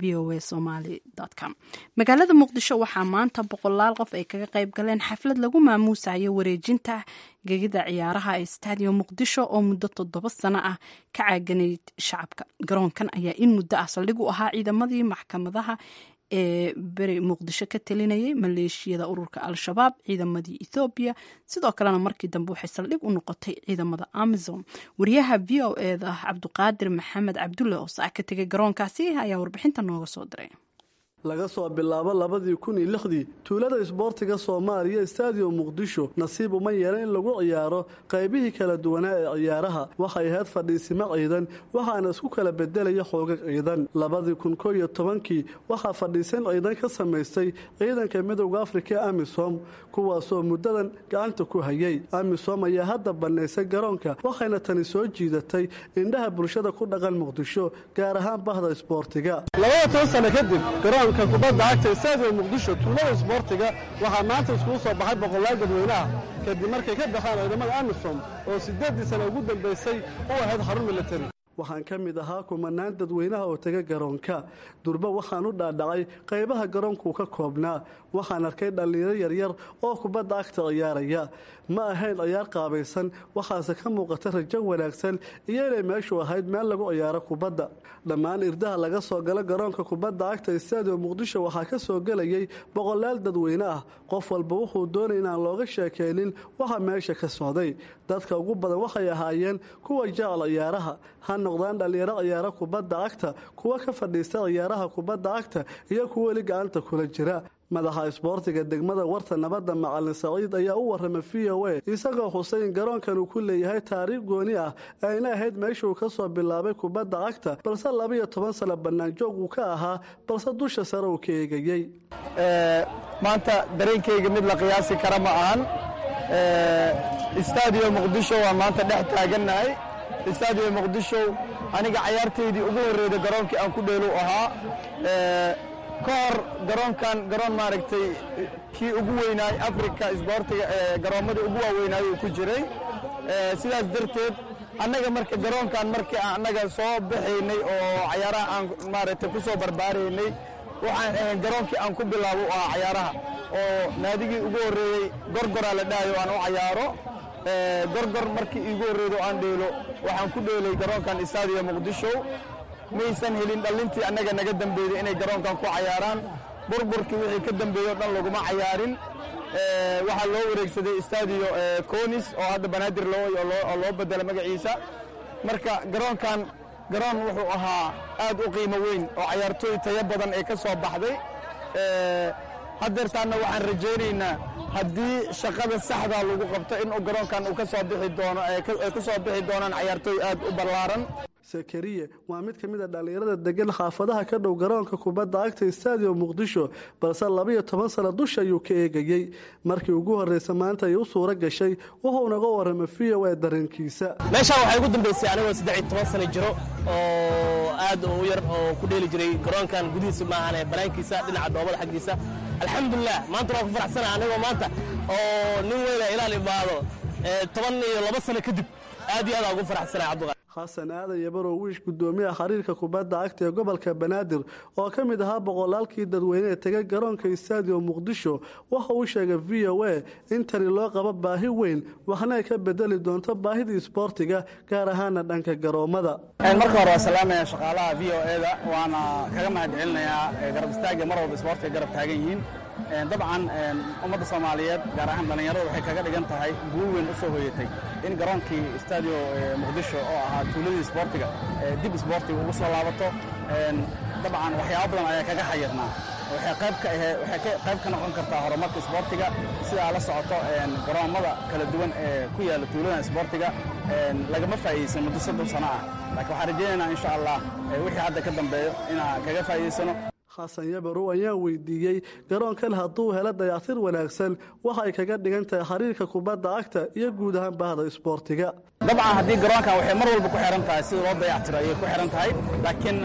v o a somaly com. Magaalada Muqdisho waxaa maanta boqolaal qof ay kaga qayb galeen xaflad lagu maamuusayo wareejinta gegida ciyaaraha ee Stadium Muqdisho oo muddo toddoba sano ah ka caaganayd shacabka. Garoonkan ayaa in muddo ah saldhig u ahaa ciidamadii maxkamadaha ee beri Muqdisho ka talinayay, maleeshiyada ururka Al-Shabaab, ciidamadii Ethoobiya, sidoo kalena markii dambe waxay saldhig u noqotay ciidamada Amazon. Wariyaha V O E da Cabduqaadir Maxamed Cabdulle oo saa ka tegay garoonkaasi ayaa warbixinta nooga soo diray. Laga soo bilaabo labadii kun iyo lixdii, tuulada isboortiga Soomaaliya Stadium Muqdisho nasiib uma yeelan in lagu ciyaaro qaybihii kala duwanaa ee ciyaaraha. Waxay ahayd fadhiisimo ciidan, waxaana isku kala bedelaya xoogag ciidan. Labadii kun koo iyo tobankii waxaa fadhiisan ciidan ka samaystay ciidanka Midowda Afrika ee AMISOM, kuwaasoo muddadan gacanta ku hayay. AMISOM ayaa hadda bannaysay garoonka, waxayna tani soo jiidatay indhaha bulshada ku dhaqan Muqdisho, gaar ahaan bahda isboortiga. Labada toban sano kadib, garoonka kubadda cagta Stadium Muqdisho, tuulada isboortiga, waxaa maanta iskugu soo baxay boqolaal dadweynaha kadib markay ka baxeen ciidamada AMISOM oo siddeeddii sano ugu dambaysay u ahayd xarun militari. Waxaan ka mid ahaa kumanaan dadweynaha oo taga garoonka. Durba waxaan u dhaadhacay qaybaha garoonkuu ka koobnaa. Waxaan arkay dhallinyaro yaryar oo kubadda cagta ciyaaraya. Ma ahayn ciyaar qaabaysan, waxaase ka muuqata rajo wanaagsan iyo inay meeshu ahayd meel lagu ciyaaro kubadda. Dhammaan irdaha laga soo galo garoonka kubadda cagta Stadium Muqdisho waxaa ka soo gelayay boqolaal dadweyne ah. Qof walba wuxuu doonay inaan looga sheekeynin waxa meesha ka socday. Dadka ugu badan waxay ahaayeen kuwa jecel ciyaaraha, ha noqdaan dhallinyaro ciyaaro kubadda cagta, kuwa ka fadhiista ciyaaraha kubadda cagta iyo kuwa weli gacanta kula jira. Madaxa isboortiga degmada Warta Nabadda, Macalin Saciid, ayaa u warramay V O A, isagoo xusay in garoonkan uu ku leeyahay taariikh gooni ah, ayna ahayd meeshuu ka soo bilaabay kubadda cagta, balse laba iyo toban sano bannaanjoog uu ka ahaa, balse dusha sare uu ka eegayey. Maanta dareenkayga mid la qiyaasi kara ma ahan. Stadium Muqdisho waa maanta dhex taagannahay. Stadium Muqdisho aniga cayaartaydii ugu horreyda garoonkii aan ku dheelu ahaa. Ka hor garoonkan garoon maaragtay kii ugu weynaay Afrika isboortiga, garoommadii ugu waaweynaay uu ku jiray. Sidaas darteed Annaga marka garoonkan markii aan annaga soo baxaynay oo cayaaraha aan maaragtay ku soo barbaaraynay, waxaan ahayn garoonkii aan ku bilaabo u ahaa cayaaraha, oo naadigii ugu horreeyey Gorgoraa la dhahayo aan u cayaaro. Gorgor markii iigu horreeydo aan dheelo, waxaan ku dheelay garoonkan Istaadiya Muqdisho. Maysan helin dhallintii annaga naga dambeeyey inay garoonkan ku cayaaraan. Burburkii wixii ka dambeeyey o dhan laguma cayaarin. Waxaa loo wareegsaday Stadio Conis oo hadda Banaadir loo loo bedela magaciisa. Marka garoonkan garoon wuxuu ahaa aad u qiimo weyn oo cayaartooy tayo badan ee ka soo baxday. Haddeertaanna waxaan rajaynaynaa haddii shaqada saxda lagu qabto in garoonkan uu ka soo bixi doono, ay ka soo bixi doonaan cayaartooy aad u ballaaran. Sakariye waa mid ka mid a dhallinyarada degan xaafadaha ka dhow garoonka kubadda cagta Stadium Muqdisho, balse labaiyo toban sano dusha ayuu ka eegayey. Markii ugu horreysa maanta ay u suuro gashay, wuxuu naga warramay V O A dareenkiisa. Meeshaan waxay ugu dambeysay anigoo saddex iyo toban sano jiro oo aad u yar oo ku dheeli jiray garoonkan gudihiisa, maahane banaankiisa dhinaca dhoobada xaggiisa. Alxamdulilah, maanta waan ku faraxsana anigoo maanta oo nin weyna ilaal imaado toban iyo laba sano kadib. Aad iyo aad aan ugu faraxsana, Cabduqaadir. Xasan Aadan Yabarow Wiish, gudoomiyaha xiriirka kubadda cagta ee gobolka Banaadir oo ka mid ahaa boqolaalkii dadweyne ee tegay garoonka Stadium Muqdisho, waxa uu sheegay V O A in tani loo qabo baahi weyn, waxna ay ka bedeli doonto baahidii isboortiga, gaar ahaana dhanka garoomada. Marka hore waa salaamaya shaqaalaha V O A-da, waana kaga mahad celinayaa garab istaagga mar walba isboortiga garab taagan yihiin. Dabcan ummadda Soomaaliyeed, gaar ahaan dhallinyarada, waxay kaga dhigan tahay guul weyn u soo hoyatay in garoonkii Stadio Muqdisho oo ahaa tuuladii isboortiga dib isboortiga ugu soo laabato. Dabcan waxyaabo badan ayaa kaga xayirnaa. Waxay qayb ka ahe waxay qayb ka noqon kartaa horumarka isboortiga. Sidaa la socoto, garoommada kala duwan ee ku yaalla tuuladan isboortiga lagama faa'iidaysan muddo soddon sano ah, laakiin waxaan rajaynaynaa insha Allah wixii hadda ka dambeeyo inaan kaga faa'iidaysano. Xasan Yabarow ayaa weydiiyey garoonkan hadduu helo dayactir wanaagsan waxa ay kaga dhigan tahay xiriirka kubadda cagta iyo guud ahaan bahda isboortiga. Dabcan haddii garoonkan waxay mar walba ku xiran tahay sida loo dayactiro ayay ku xiran tahay, laakiin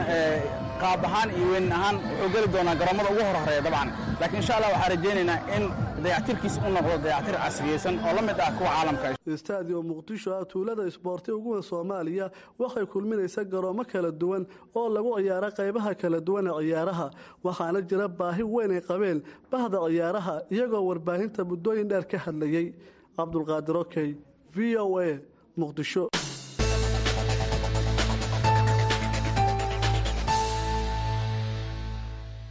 qaab ahaan iyo weyn ahaan wuxuu geli doonaa garoomada ugu horhoreeya dabcan. Laakiin insha Allah waxaan rajaynaynaa in dayactirkiis u noqdo dayactir casriyeysan oo la mid ah kuwa caalamka. Stadium Muqdisho ah tuulada isboorti ugu weyn Soomaaliya waxay kulminaysaa garoomo kala duwan oo lagu ciyaaro qaybaha kala duwan ee ciyaaraha, waxaana jira baahi weyn ay qabeen bahda ciyaaraha iyagoo warbaahinta muddooyin dheer ka hadlayey. Cabdulqaadir Okey, V O A, Muqdisho.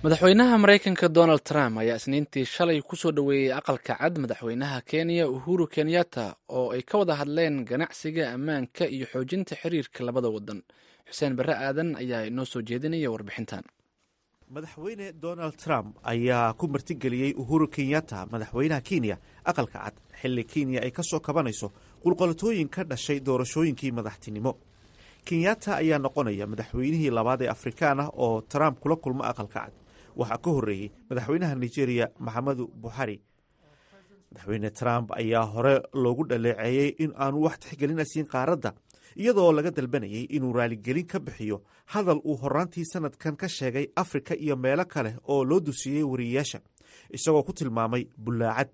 Madaxweynaha Maraykanka Donald Trump ayaa Isniintii shalay ku soo dhoweeyey Aqalka Cad madaxweynaha Kenya Uhuru Kenyatta oo ay ka wada hadleen ganacsiga, ammaanka iyo xoojinta xiriirka labada wadan. Xuseen Barre Aadan ayaa inoo soo jeedinaya warbixintan. Madaxweyne Donald Trump ayaa ku martigeliyey Uhuru Kenyatta, madaxweynaha Kenya, Aqalka Cad xilli Kenya ay ka soo kabanayso qulqolatooyin ka dhashay doorashooyinkii madaxtinimo. Kenyatta ayaa noqonaya madaxweynihii labaad ee Afrikaan ah oo Trump kula kulmo Aqalka Cad. Waxaa ka horreeyey madaxweynaha Nigeria Maxamedu Buxari. Madaxweyne Trump ayaa hore loogu dhaleeceeyey in aanu wax tixgelina siin qaaradda, iyadoo laga dalbanayay inuu raaligelin ka bixiyo hadal uu horaantii sanadkan ka sheegay Afrika iyo meelo kale oo loo dusiyey wariyeyaasha, isagoo ku tilmaamay bullaacad.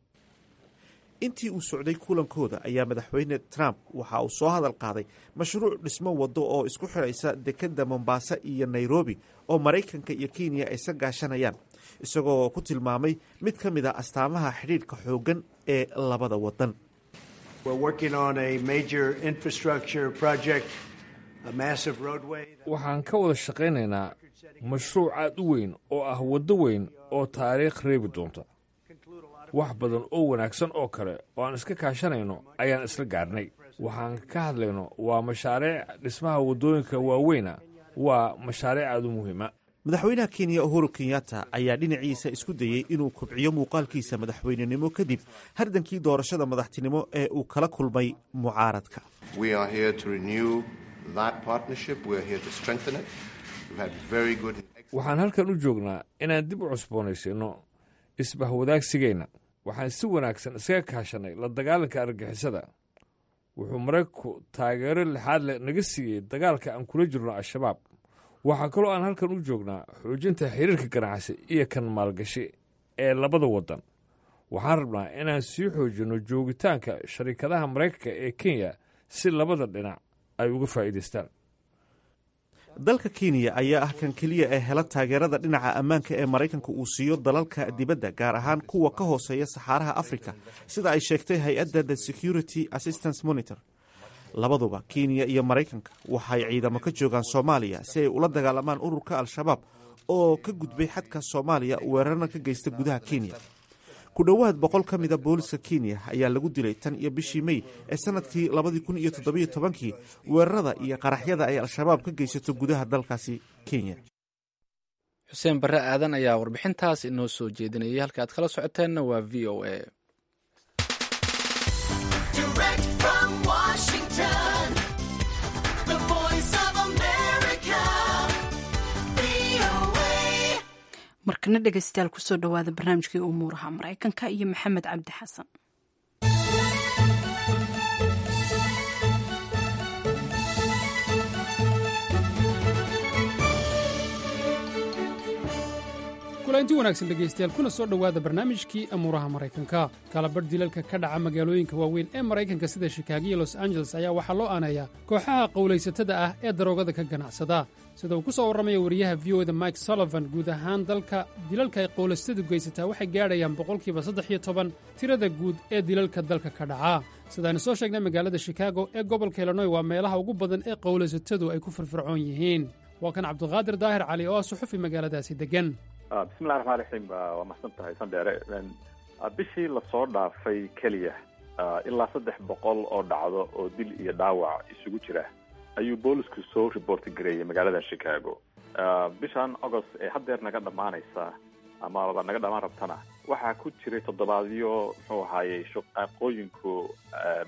Intii uu socday kulankooda ayaa madaxweyne Trump waxa uu soo hadal qaaday mashruuc dhismo waddo oo isku xidhaysa dekedda Mombasa iyo Nairobi oo Maraykanka iyo Kenya ay sa gaashanayaan, isagoo ku tilmaamay mid ka mid a astaamaha xidhiidhka xooggan ee labada waddan. Waxaan ka wada shaqaynaynaa mashruuc aad u weyn oo ah waddo weyn oo taariikh reebi doonta. Wax badan oo wanaagsan oo kale oo aan iska kaashanayno ayaan isla gaarnay. Waxaan ka hadlayno waa mashaariic dhismaha waddooyinka waaweyna, waa mashaariic aad u muhiima. Madaxweynaha Kenya Uhuru Kenyatta ayaa dhinaciisa isku dayey inuu kobciyo muuqaalkiisa madaxweynenimo kadib hardankii doorashada madaxtinimo ee uu kala kulmay mucaaradka. Waxaan halkan u joognaa inaan dib u cusboonaysiinno isbahwadaagsigeenna. Waxaan si wanaagsan iskaga kaashanay la dagaalanka argagixisada. Wuxuu Maraykanku taageero lixaad leh naga siiyey dagaalka aan kula jirno Al-Shabaab. Waxaa kaloo aan halkan u joognaa xoojinta xiriirka ganacsi iyo kan maalgashi ee labada waddan. Waxaan rabnaa inaan sii xoojinno joogitaanka sharikadaha Maraykanka ee Kenya si labada dhinac ay uga faa'iidaystaan. Dalka Kenya ayaa ah kan keliya ee hela taageerada dhinaca ammaanka ee Maraykanka uu siiyo dalalka dibadda, gaar ahaan kuwa ka hooseeya saxaaraha Afrika, sida ay sheegtay hay-adda The Security Assistance Monitor. Labaduba, Kenya iyo Maraykanka, waxay ciidamo ka joogaan Soomaaliya si ay ula dagaalamaan ururka Al-Shabaab oo ka gudbay xadka Soomaaliya, weerarna ka geysta gudaha Kenya. Ku dhowaad boqol ka mida booliska Kenya ayaa lagu dilay tan iyo bishii Mey ee sanadkii labadii kun iyo toddobiyo tobankii weerarada iyo qaraxyada ay Al-Shabaab ka geysato gudaha dalkaasi Kenya. Xuseen Barre Aadan ayaa warbixintaas inoo soo jeedinayay. Halka aad kala socoteenna waa V O A. Direct from Washington, the Voice of America, V O A. Markana dhegeystayaal, kusoo dhowaada barnaamijkii umuuraha Maraykanka iyo Maxamed Cabdi Xasan. Kulanti wanaagsan dhegaystayaal, kuna soo dhowaada barnaamijkii amuuraha Maraykanka. Kalabadh dilalka ka dhaca magaalooyinka waaweyn ee Maraykanka sida Shikaago iyo Los Angeles ayaa waxaa loo aaneeyaa kooxaha qowlaysatada ah ee daroogada ka ganacsada. Sida uu ku soo warramaya wariyaha V O da Mike Sullivan, guud ahaan dalka dilalka ay qowlaysatadu geysataa waxay gaadhayaan boqolkiiba saddex iyo toban tirada guud ee dilalka dalka ka dhaca. Sidaaynu soo sheegnay, magaalada Shikaago ee gobolka Illinoy waa meelaha ugu badan ee qowlaysatadu ay ku firfircoon yihiin. Waa kan Cabdiqaadir Daahir Cali oo ah suxufi magaaladaasi deggan. Bismillahi raxmaan raxiim. Waa mahadsan tahay, Sandheere. Bishii lasoo dhaafay keliya ilaa saddex boqol oo dhacdo oo dil iyo dhaawac isugu jira ayuu boolisku soo report gareeyay magaalada Chicago. Bishan August ee haddeer naga dhammaanaysa amaba naga dhammaan rabtana waxaa ku jiray toddobaadyo, muxuu ahaayey, shaqaaqooyinku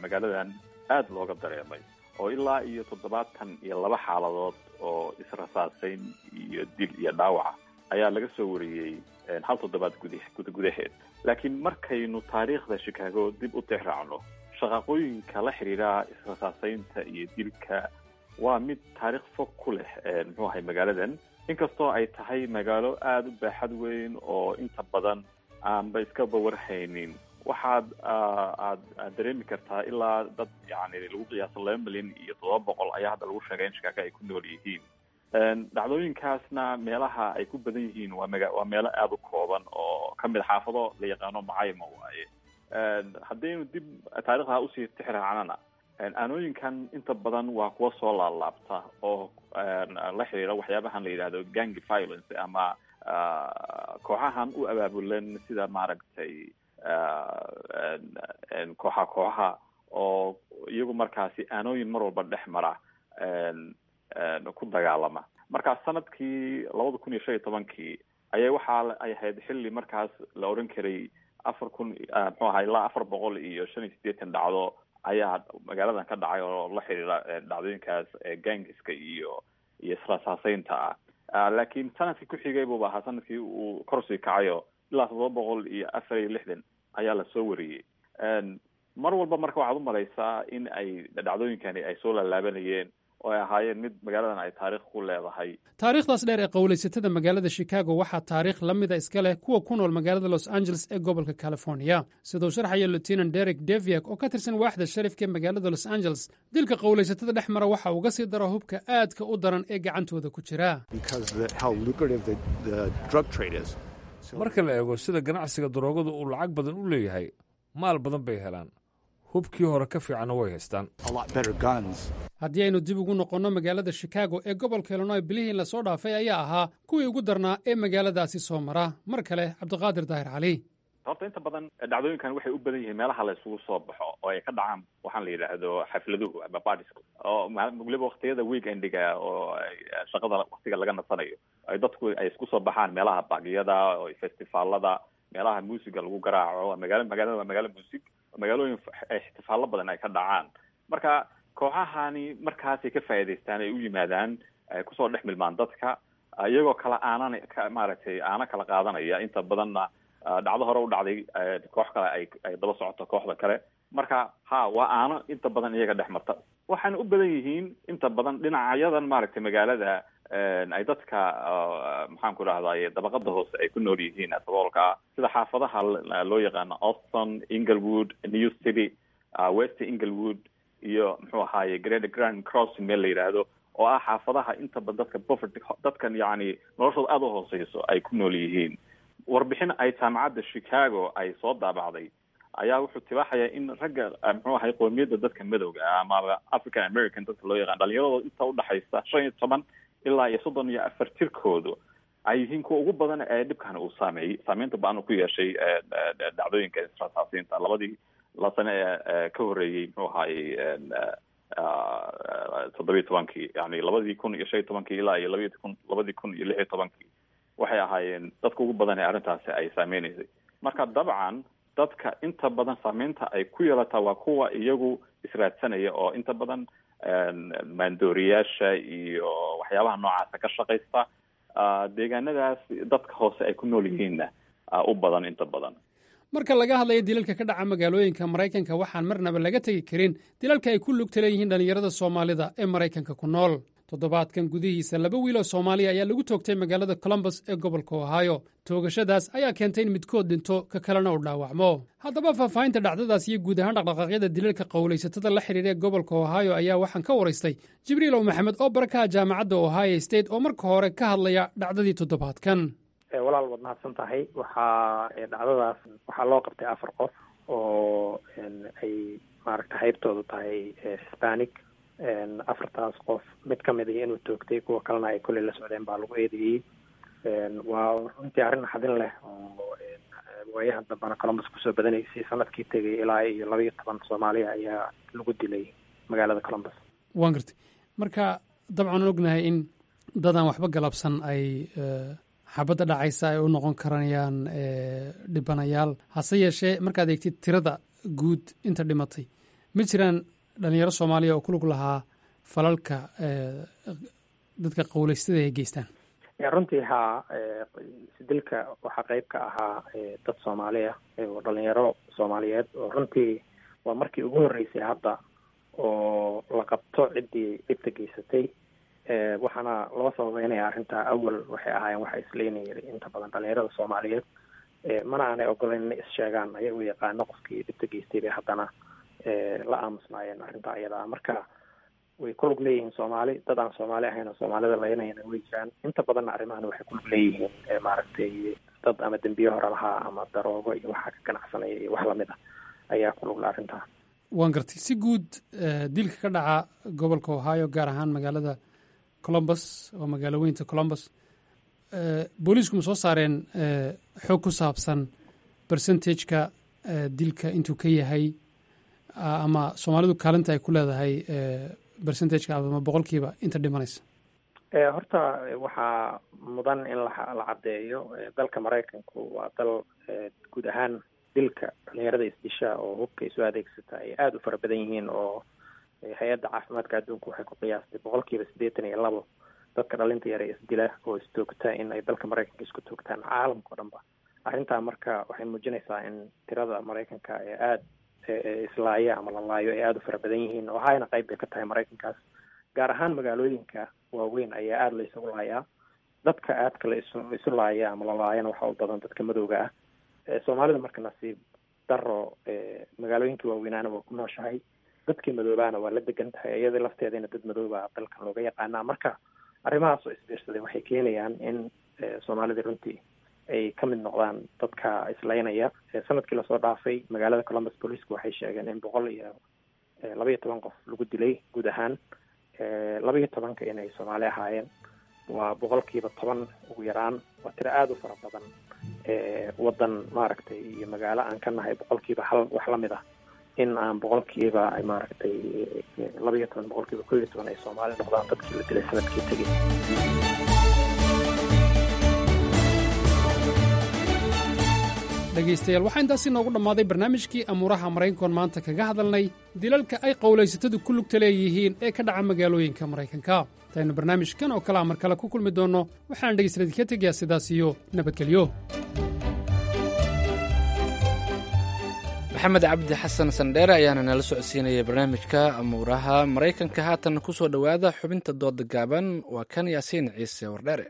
magaaladan aada looga dareemay oo ilaa iyo toddobaatan iyo laba xaaladood oo israsaasayn iyo dil iyo dhaawaca ayaa laga soo wariyey hal toddobaad gud gudaheed. Laakiin markaynu taariikhda Chicago dib u tixraacno, shaqaaqooyinka la xiriira israsaasaynta iyo dilka waa mid taariikh fog ku leh, muxuu ahay, magaaladan, inkastoo ay tahay magaalo aada u baaxad weyn oo inta badan aanba iska bawarhaynin. Waxaad aad aad dareemi kartaa ilaa dad yani lagu qiyaaso laba milyan iyo toddoba boqol ayaa hadda lagu sheegay in Chicago ay ku nool yihiin. Dhacdooyinkaasna meelaha ay ku badan yihiin waa maga waa meelo aada u kooban oo kamid xaafado la yaqaano macayma waaye. Haddaynu dib taariikhda usii tixraacnana, aanooyinkan inta badan waa kuwa soo laalaabta oo la xiriira waxyaabahan la yidhahdo gang violence ama kooxahan u abaabulan sida maaragtay kooxa kooxaha oo iyagu markaasi aanooyin mar walba dhex mara ku dagaalama. Marka sanadkii labada kun iyo shan iyo tobankii ayaa waxaa ay ahayd xilli markaas la odhan karay afar kun, muxuu ahaa, ilaa afar boqol iyo shan iyo siddeetan dhacdo ayaa magaaladan ka dhacay oo la xiriira dhacdooyinkaas gangiska iyo iyo israsaaseynta ah. Laakiin sanadkii ku xigay buuba ahaa sanadkii uu korsii kacayo, ilaa toddoba boqol iyo afar iyo lixdan ayaa lasoo wariyey. Mar walba marka waxaad umalaysaa in ay dhacdooyinkani ay soo laalaabanayeen oo ay ahaayeen mid magaaladan ay taariikh ku leedahay. Taariikhdaas dheer ee qowlaysatada magaalada Chicago waxaa taariikh la mida iska leh kuwa ku nool magaalada Los Angeles ee gobolka California, siduu sharxaya Lieutenant Derek Deviak oo ka tirsan waaxda sharifka ee magaalada Los Angeles. Dilka qowlaysatada dhex mara waxa uga sii daro hubka aadka u daran ee gacantooda ku jira. Marka la eego sida ganacsiga daroogadu uu lacag badan u leeyahay, maal badan bay helaan, hubkii hore ka fiicanna way haystaan. Haddii aynu dib ugu noqonno magaalada Chicago ee gobolka Illinoy, bilihii lasoo dhaafay ayaa ahaa kuwii ugu darnaa ee magaaladaasi soo mara. Mar kale Cabdiqaadir Daahir Cali. Horta inta badan dhacdooyinkan waxay u badan yihiin meelaha la isugu soo baxo oo ay ka dhacaan waxaan la yidhaahdo xafladuhu ama parties, oo weliba waktiyada weekendiga oo shaqada waktiga laga nasanayo ay dadku ay isku soo baxaan meelaha bagyada oo festivaalada, meelaha muusiga lagu garaaco. Magaalo magaalada waa magaalo muusig, magaalooyin ixtifaallo badan ay ka dhacaan. Marka kooxahani markaasay ka faa'iidaystaan, ay u yimaadaan, ay kusoo dhex milmaan dadka iyagoo kala aanan maaragtay aana kala qaadanaya. Inta badanna dhacdo hore u dhacday koox kale ay ay daba socoto kooxda kale. Marka ha waa aano inta badan iyaga dhex marta. Waxaana u badan yihiin inta badan dhinacyadan maaragtay magaalada ay dadka, maxaan ku dhahday, dabaqada hoose ay ku nool yihiin, saboolka, sida xaafadaha loo yaqaano Austin, Inglewood, New City, West Inglewood iyo muxuu ahaaye Great Grand Crossing meel la yidhaahdo, oo ah xaafadaha inta badan dadka poverty, dadkan yacni noloshooda aada u hooseyso ay ku nool yihiin. Warbixin ay jaamacadda Chicago ay soo daabacday ayaa wuxuu tibaaxayaa in ragga muxuu ahay qoomiyadda dadka madowga ah amaba African American dadka loo yaqaan, dhalinyaradooda inta udhaxaysa shan iyo toban ilaa iyo soddon iyo afar jirkoodu ay yihiin kuwa ugu badan ee dhibkan uu saameeyey, saameynta ba-an uu ku yeeshay dhacdooyinka israsaasiinta labadii la sane ee ka horreeyey muxuu ahaayey toddobiyo tobankii, yani labadii kun iyo shan iyo tobankii ilaa iyo labaiy kun labadii kun iyo lix iyo tobankii waxay ahaayeen dadka ugu badan ee arrintaasi ay saameynaysay. Marka dabcan dadka inta badan saameynta ay ku yeelataa waa kuwa iyagu israadsanaya oo inta badan maandooriyaasha iyo waxyaabaha noocaasa ka shaqaysta, deegaanadaas dadka hoose ay ku nool yihiinna u badan inta badan. Marka laga hadlayo dilalka ka dhaca magaalooyinka Maraykanka, waxaan marnaba laga tegi karin dilalka ay ku lugta leeyihiin dhallinyarada Soomaalida ee Maraykanka ku nool. Toddobaadkan gudihiisa laba wiil oo Soomaaliya ayaa lagu toogtay magaalada Columbus ee gobolka Ohio. Toogashadaas ayaa keentay in midkood dhinto, ka kalena uu dhaawacmo. Haddaba faahfaahinta dhacdadaas iyo guud ahaan dhaqdhaqaaqyada dilalka qowlaysatada la xidhiira ee gobolka Ohio ayaa waxaan ka waraystay Jibriil Ow Maxamed oo barakaha jaamacadda Ohio State, oo marka hore ka hadlaya dhacdadii toddobaadkan. Walaal, waad mahadsan tahay. Waxaa dhacdadaas waxaa loo qabtay afar qof oo ay maaragta haybtoodu tahay Hispanic. Afartaas qof mid ka mid ah inuu toogtay, kuwa kalena ay kolley la socdeen baa lagu eedeeyey. Waa runtii arrin naxdin leh oo waayahan dambana Columbus kusoo badanaysay. Sanadkii tegay ilaa iyo laba iyo toban Soomaaliya ayaa lagu dilay magaalada Columbus. Waan gartay. Marka dabcan ognahay in dadaan waxba galabsan ay xabadda dhacaysa ay u noqon karanayaan dhibanayaal, hase yeeshee markaad eegtid tirada guud inta dhimatay, ma jiraan dhalinyaro Soomaaliya oo ku lug lahaa falalka dadka qowleystada ay geystaan? Runtii haa, dilka waxaa qeyb ka ahaa dad Soomaaliya oo dhalinyaro Soomaaliyeed, oo runtii waa markii ugu horreysay hadda oo la qabto ciddii dhibta geysatay. Waxaana loo sababeynaya arrintaa, awal waxay ahaayeen waxa isleynayay inta badan dhalinyarada Soomaaliyeed, mana aanay ogolayn inay is-sheegaan ayagoo yaqaano qofkii dhibta geystay bay haddana la aamusnaayeen arrintaa iyada ah. Marka way ku lug leeyihiin Soomaali, dad aan Soomaali ahayn oo Soomaalida laynayana way jiraan. Inta badanna arrimahan waxay ku lug leeyihiin maaragtay dad ama dembiye hore lahaa ama daroogo iyo waxaa ka ganacsanaya iyo wax lamid ah ayaa ku lugla arrintaa. Waan gartay. Si guud dilka ka dhaca gobolka Ohio, gaar ahaan magaalada Columbus oo magaalo weynta Columbus, booliisku ma soo saareen xog ku saabsan percentageka dilka intuu ka yahay ama Soomaalidu kaalinta ay ku leedahay percentageka ama boqolkiiba inta dhimanaysa? Horta waxaa mudan in la la caddeeyo, dalka Maraykanku waa dal guud ahaan dilka dhalinyarada isdisha oo hubka isu adeegsata ay aada u fara badan yihiin, oo hay-adda caafimaadka adduunka waxay ku qiyaastay boqolkiiba siddeetan iyo labo dadka dhalinta yar ee isdila oo istoogta in ay dalka Maraykanka isku toogtaan, caalamka o dhan ba. Arrintaa marka waxay muujinaysaa in tirada Maraykanka ee aada islaaya ama la laayo ay aada u fara badan yihiin. Ohayna qayb bay ka tahay Maraykankaas, gaar ahaan magaalooyinka waaweyn ayaa aada la isugu laayaa. Dadka aadka la isu isu laaya ama la laayana waxaa u badan dadka madowga ah. Soomaalida marka nasiib daro magaalooyinka waaweynaana waa ku nooshahay, dadkii madoobaana waa la degan tahay, iyada lafteedana dad madooba dalkan looga yaqaanaa. Marka arrimahaas oo isbiirsaday waxay keenayaan in Soomaalida runtii ay ka mid noqdaan dadka islaynaya. Sanadkii lasoo dhaafay magaalada Columbus booliisku waxay sheegeen in boqol iyo laba iyo toban qof lagu dilay guud ahaan, laba iyo tobanka inay Soomaali ahaayeen. Waa boqolkiiba toban ugu yaraan, waa tiro aada u fara badan. Wadan maaragtay iyo magaalo aan ka nahay boqolkiiba hal wax lamid ah, in aan boqolkiiba maaragtay laba iyo toban boqolkiiba kow iyo toban ay Soomaali noqdaan dadkii la dilay sanadkii tegey. Dhegaystayaal, waxaa intaasi noogu dhammaaday barnaamijkii amuuraha Maraykankoon maanta kaga hadalnay dilalka ay qowlaysatadu ku lugta leeyihiin ee ka dhaca magaalooyinka Maraykanka. Intaynu barnaamijkan oo kalea mar kale ku kulmi doonno, waxaan dhegaystayaal idinka tegayaa sidaas iyo nabadgelyo. Maxamed Cabdi Xasan Sandheere ayaana nala socodsiinaya barnaamijka amuuraha Maraykanka. Haatan ku soo dhowaada xubinta dooda gaaban, waa kan Yaasiin Ciise Wardheere.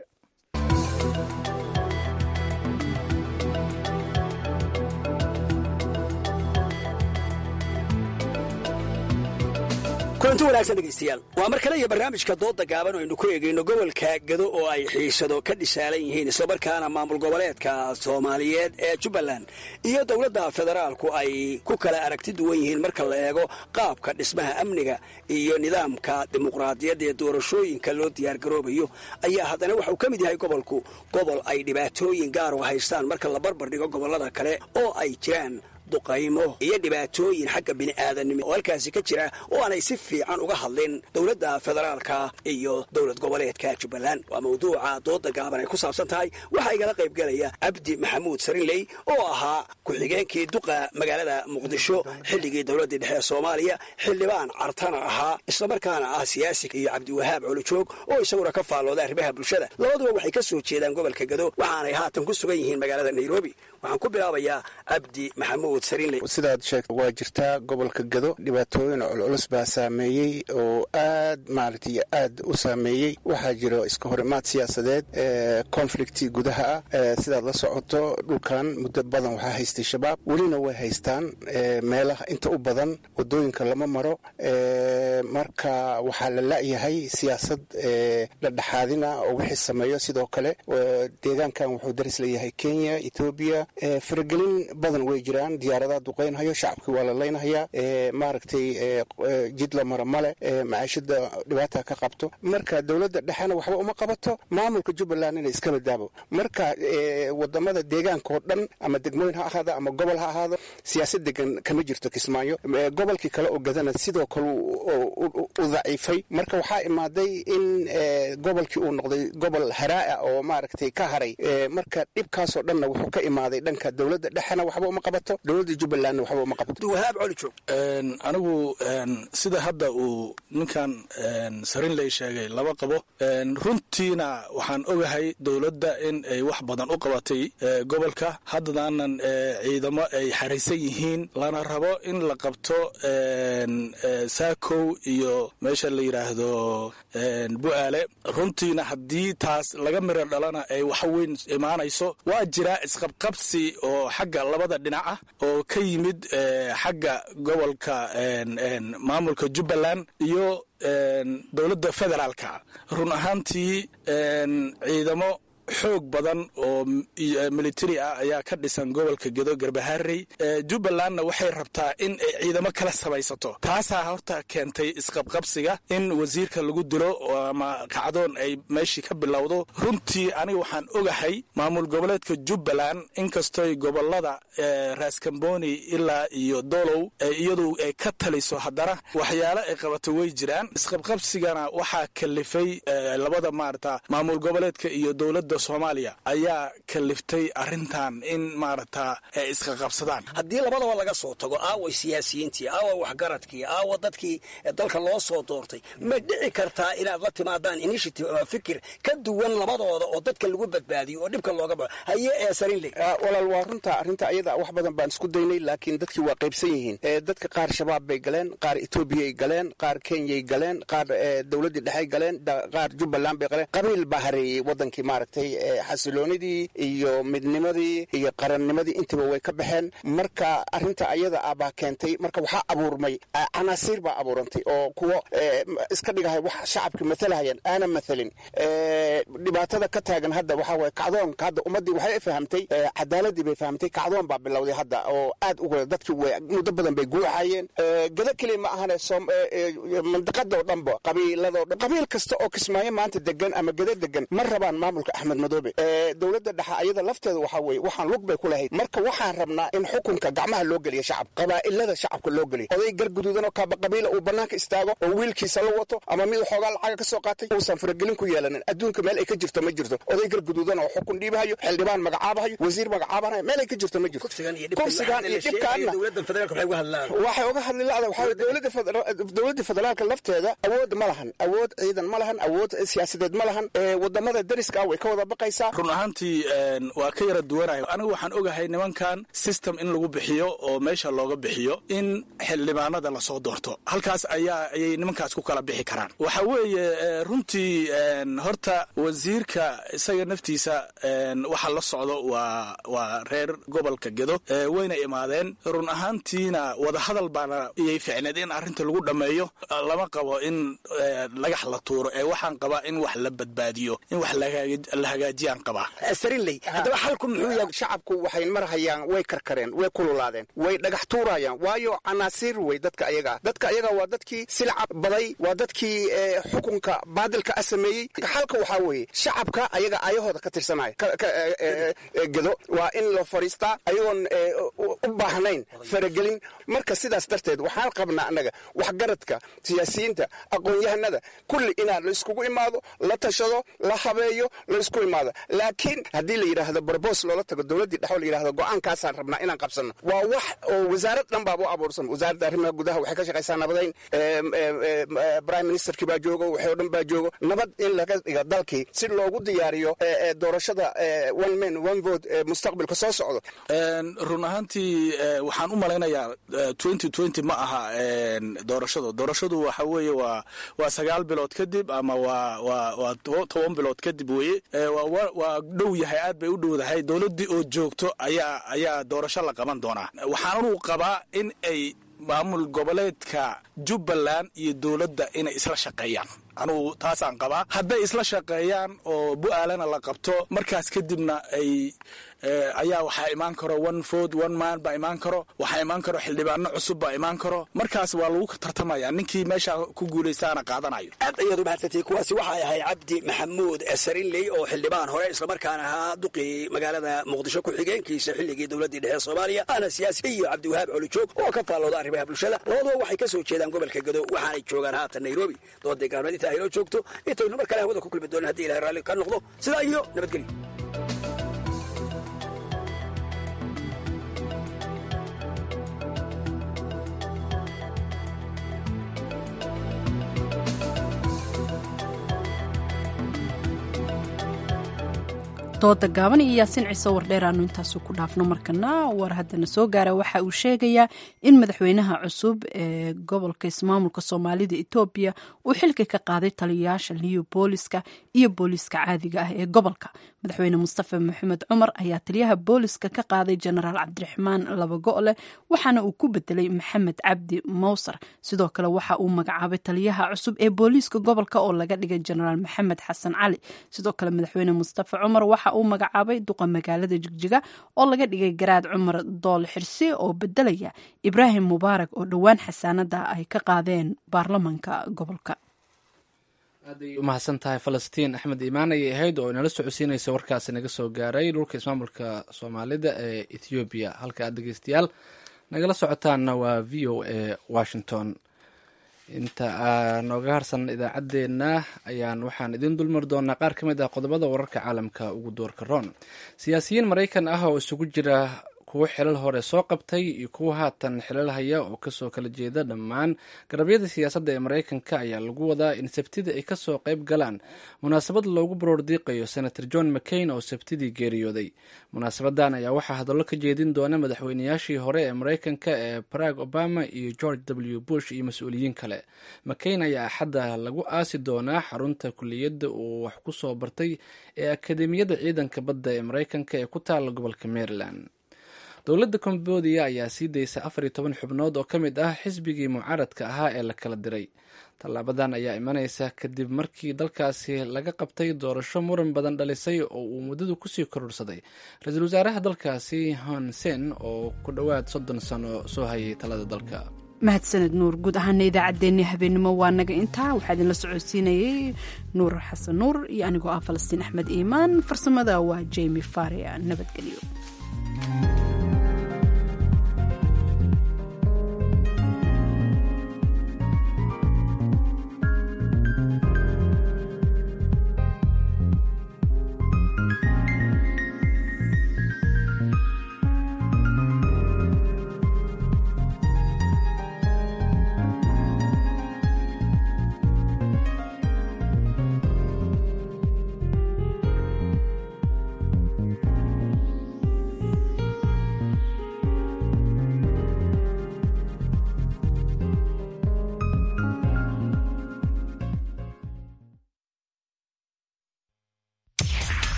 Kulanti wanaagsan dhegaystayaal, waa mar kale iyo barnaamijka dooda gaaban oo aynu ku eegayno gobolka Gado oo ay xiisado ka dhisaalan yihiin, islamarkaana maamul goboleedka Soomaaliyeed ee Jubbaland iyo dowladda federaalku ay ku kala aragti duwan yihiin marka la eego qaabka dhismaha amniga iyo nidaamka dimuqraadiyadda ee doorashooyinka loo diyaargaroobayo. Ayaa haddana waxauu ka mid yahay gobolku gobol ay dhibaatooyin gaar u haystaan marka la barbar dhigo gobollada kale, oo ay jiraan duqaymo iyo dhibaatooyin xagga bini'aadanimo oo halkaasi ka jira oo aanay si fiican uga hadlin dowladda federaalka iyo dowlad goboleedka Jubbaland. Waa mawduuca dooda gaaban ay ku saabsan tahay. Waxaa igala qayb gelaya Cabdi Maxamuud Sarinley oo ahaa ku-xigeenkii duqa magaalada Muqdisho xilligii dowladdii dhexe ee Soomaaliya, xildhibaan Cartana ahaa, islamarkaana ah siyaasi, iyo Cabdiwahaab Colojoog oo isaguna ka faallooda arrimaha bulshada. Labaduba waxay ka soo jeedaan gobolka Gado, waxaanay haatan ku sugan yihiin magaalada Nairobi. Waxaan ku bilaabayaa Cabdi Maxamuud. Sidaad sheegta, waa jirtaa gobolka Gado dhibaatooyin culculus baa saameeyey oo aad maaragtay aad u saameeyey. Waxaa jiro iska horimaad siyaasadeed, conflict gudaha ah. Sidaad la socoto, dhulkan muddo badan waxaa haystay Shabaab, welina way haystaan. Meelaha inta u badan wadooyinka lama maro. Marka waxaa la la'yahay siyaasad dhexdhexaadina oo wixii sameeyo. Sidoo kale deegaankan wuxuu daris leeyahay Kenya, Etoobiya. Faragelin badan way jiraan, diyaaradaha duqeynhayo, shacabkii waa la leynhayaa, maaragtay jid la maro male, macaashada dhibaata ka qabto. Marka dowladda dhexena waxba uma qabato, maamulka Jubbaland inay iska badaabo. Marka wadamada deegaanka oo dhan, ama degmooyin ha ahaado ama gobol ha ahaado, siyaasad degan kama jirto Kismaayo. Gobolkii kale oo Gadana sidoo kale u daciifay. Marka waxaa imaaday in gobolkii uu noqday gobol haraa oo maaragtay ka haray. Marka dhibkaasoo dhanna wuxuu ka imaaday dhanka dowladda dhexena waxba uma qabato, dowladda Jubbalandna waxba uma qabato. Anigu sida hadda uu ninkan Sarinley sheegay laba qabo. Runtiina waxaan ogahay dowladda in ay wax badan u qabatay gobolka, haddadaanan ciidamo ay xaraysan yihiin, lana rabo in la qabto Saakow iyo meesha la yidhaahdo Bu'aale. Runtiina haddii taas laga miro dhalana ay wax weyn imaanayso. Waa jiraa isqabqabsi oo xagga labada dhinac ah oo ka yimid xagga gobolka, maamulka Jubbaland iyo dowladda federaalka. Run ahaantii ciidamo xoog badan oo military ah ayaa ka dhisan gobolka Gedo, Garbaharey. Jubbalandna waxay rabtaa in ay ciidamo kala samaysato. Taasaa horta keentay isqabqabsiga in wasiirka lagu dilo ama kacdoon ay meeshii ka bilowdo. Runtii aniga waxaan ogahay maamul goboleedka Jubbaland, inkastoy gobolada Raaskamboni ilaa iyo Dolow iyadu ay ka taliso, haddana waxyaalo ay qabato way jiraan. Isqabqabsigana waxaa kalifay labada maarata maamul goboleedka iyo dowladda Soomaaliya ayaa kaliftay arrintan in maaragta ay iska qabsadaan. Haddii labadaba laga soo tago, aaway siyaasiyiintii, aawa waxgaradkii, aawa dadkii dalka loo soo doortay? Ma dhici kartaa inaad la timaadaan initiative ama fikir ka duwan labadooda oo dadka lagu badbaadiyo oo dhibka looga baxo? Haye ee Sarinley. Walaal, waa runta arrinta ayada. Wax badan baan isku daynay, laakiin dadkii waa qaybsan yihiin. Dadka qaar Shabaab bay galeen, qaar Etoobiyay galeen, qaar Kenyay galeen, qaar dowladdii dhexey galeen, qaar Jubbaland bay galeen. Qabiil baa hareeyey wadankii, maaragtay xasiloonidii iyo midnimadii iyo qarannimadii intiba way ka baxeen. Marka arrinta ayada ah baa keentay. Marka waxaa abuurmay canaasiir baa abuurantay oo kuwo iska dhigahay wax shacabki matalahayaan aanan mathalin. Dhibaatada ka taagan hadda waxaa waye kacdoonka. Hadda ummaddii waxay fahamtay, cadaaladii bay fahamtay. Kacdoon baa bilowday hadda oo aad uga dadkii way muddo badan bay guuxayeen. Gado keliya ma ahane, mandiqadoo dhanba, qabiiladoo dhan, qabiil kasta oo Kismaayo maanta degan ama Gado degan ma rabaan maamulka Axmed Madoobe. Dowladda dhexe ayada lafteeda waxaa weeye waxaan lug bay ku lahayd. Marka waxaan rabnaa in xukunka gacmaha loo geliyo shacabka, qabaa'ilada shacabka loo geliyo. Oday gar guduudan oo kaaba qabiila uu bannaanka istaago oo wiilkiisa la wato ama mid xoogaa lacaga ka soo qaatay uusan faragelin ku yeelanin. Adduunka meel ay ka jirto ma jirto oday gar guduudan oo xukun dhiibahayo, xildhibaan magacaabahayo, wasiir magacaabahayo, meel ay ka jirto ma jirto. Kursigan iyo dhibkaanna waxay uga hadli la'da waxaa dowladda federaalka lafteeda awood ma lahan, awood ciidan ma lahan, awood siyaasadeed ma lahan. Wadamada dariska ah way ka wada wada baqaysaa. Run ahaantii waa ka yara duwanahay. Anigu waxaan ogahay nimankan system in lagu bixiyo oo meesha looga bixiyo in xildhibaanada lasoo doorto, halkaas ayaa ayay nimankaas ku kala bixi karaan. Waxa weeye runtii horta wasiirka isaga naftiisa waxa la socdo waa waa reer gobolka Gedo, wayna imaadeen. Run ahaantiina wadahadal baana iyay ficneed in arrinta lagu dhammeeyo. Lama qabo in lagax la tuuro ee waxaan qabaa in wax la badbaadiyo, in wax la hagaajiyaan qabaa. Sarinley, haddaba xalku muxuu yahay? Shacabku waxay marhayaan, way karkareen, way kululaadeen, way dhagax tuurayaan, waayo canaasiir wey dadka ayaga. Dadka ayaga waa dadkii silca baday, waa dadkii xukunka baadilka a sameeyey. Xalka waxaa weeye shacabka ayaga ayahooda ka tirsanaya Gedo waa in loo fadhiistaa ayagoon u baahnayn faragelin. Marka sidaas darteed waxaan qabnaa annaga waxgaradka, siyaasiyiinta, aqoon-yahanada kulli inaan la iskugu imaado, la tashado, la habeeyo, la isku imaado. Laakiin haddii la yidhaahdo barboos loola tago dowladdii dhexo, la yidhahdo go'aankaasaan rabnaa inaan qabsanno, waa wax oo wasaarad dhan baaba u abuursan. Wasaaradda arrimaha gudaha waxay ka shaqaysaa nabadayn, prime ministerkii baa joogo, waxay oo dhan baa joogo, nabad in laga dhigo dalkii si loogu diyaariyo doorashada one man one vote mustaqbalka soo socdo. Run ahaantii waxaan u malaynayaa twenty twenty ma aha doorashadu. Doorashadu waxa weeye waa waa sagaal bilood kadib ama waa waa waa toban bilood kadib weeye. Waa dhow yahay, aad bay u dhowdahay. Dowladdii oo joogto ayaa ayaa doorasho la qaban doonaa. Waxaanuu qabaa in ay maamul goboleedka Jubbaland iyo dowladda inay isla shaqeeyaan. Anugu taasaan qabaa. Hadday isla shaqeeyaan oo Bu-aalana la qabto, markaas kadibna ay ayaa waxaa imaan karo one vote one man baa imaan karo, waxaa imaan karo xildhibaano cusub baa imaan karo. Markaas waa lagu tartamaya, ninkii meesha ku guulaystaana qaadanayo. Aad ayaad u mahadsantay. Kuwaasi waxay ahay Cabdi Maxamuud Sarinley oo xildhibaan hore islamarkaana ahaa duqii magaalada Muqdisho ku-xigeenkiisa xilligii dowladdii dhexe Soomaaliya, ahna siyaasi, iyo Cabdiwahaab Colijoog oo ka faallooda arrimaha bulshada. Labaduba waxay ka soo jeedaan gobolka Gedo, waxaanay joogaan haatan Nairobi. Dooday gaalmeed inta aynoo joogto, intaynu mar kale hawada ku kulmi doonin haddii Ilahay raalli ka noqdo, sidaa iyo nabadgelyo. Dooda gaaban iyo Yaasiin Ciise Wardheer aanu intaasu ku dhaafno. Markana war haddana soo gaara waxa uu sheegayaa in madaxweynaha cusub ee gobolka ismaamulka Soomaalida Etoobiya uu xilka ka qaaday taliyayaasha liyo booliska iyo booliska caadiga ah ee gobolka. Madaxweyne Mustafa Maxamed Cumar ayaa taliyaha booliska ka qaaday Jenaraal Cabdiraxmaan Labago'le, waxaana uu ku bedelay Maxamed Cabdi Mowsar. Sidoo kale waxa uu magacaabay taliyaha cusub ee booliiska gobolka oo laga dhigay Jenaraal Maxamed Xasan Cali. Sidoo kale madaxweyne Mustafa Cumar waxa uu magacaabay duqa magaalada Jigjiga oo laga dhigay Garaad Cumar Dool Xirsi oo bedelaya Ibraahim Mubaarak oo dhowaan xasaanada ay ka qaadeen baarlamanka gobolka. Aad ay u mahadsan tahay Falastiin Axmed Iimaan ayay ahayd oo inala socodsiinaysa warkaasi naga soo gaaray dhulka ismaamulka Soomaalida ee Ethoobiya. Halka aad dhegeystayaal nagala socotaanna waa V O A Washington. Inta aa nooga harsan idaacaddeenna ayaan waxaan idiin dulmari doonaa qaar ka mid ah qodobada wararka caalamka ugu doorka roon. Siyaasiyiin Maraykan ah oo isugu jira kuwo xilal hore soo qabtay iyo kuwo haatan xilal haya oo kasoo kala jeeda dhammaan garabyada siyaasadda ee Maraykanka ayaa lagu wadaa in Sabtida ay kasoo qayb galaan munaasabad loogu baroordiiqayo Senator John McCain oo Sabtidii geeriyooday. Munaasabadan ayaa waxaa hadallo ka jeedin doona madaxweynayaashii hore ee Maraykanka ee Barack Obama iyo George W Bush iyo mas-uuliyiin kale. McCain ayaa Axadda lagu aasi doonaa xarunta kuliyadda uu wax ku soo bartay ee Akademiyadda Ciidanka Badda ee Maraykanka ee ku taala gobolka Maryland. Dowladda Cambodia ayaa sii daysa afar iyo toban xubnood oo ka mid ah xisbigii mucaaradka ahaa ee la kala diray. Tallaabadan ayaa imanaysa kadib markii dalkaasi laga qabtay doorasho muran badan dhalisay oo uu muddadu kusii kororsaday ra-iisul wasaaraha dalkaasi Hun Sen oo ku dhowaad soddon sano soo hayay talada dalka. Mahadsaned Nuur. Guud ahaana idaacaddeenii habeenimo waa naga intaa. Waxaa idinla socodsiinayay Nuur Xasan Nuur iyo anigoo ah Falastiin Axmed Iimaan. Farsamada waa Jemi Faria. Nabadgelyo.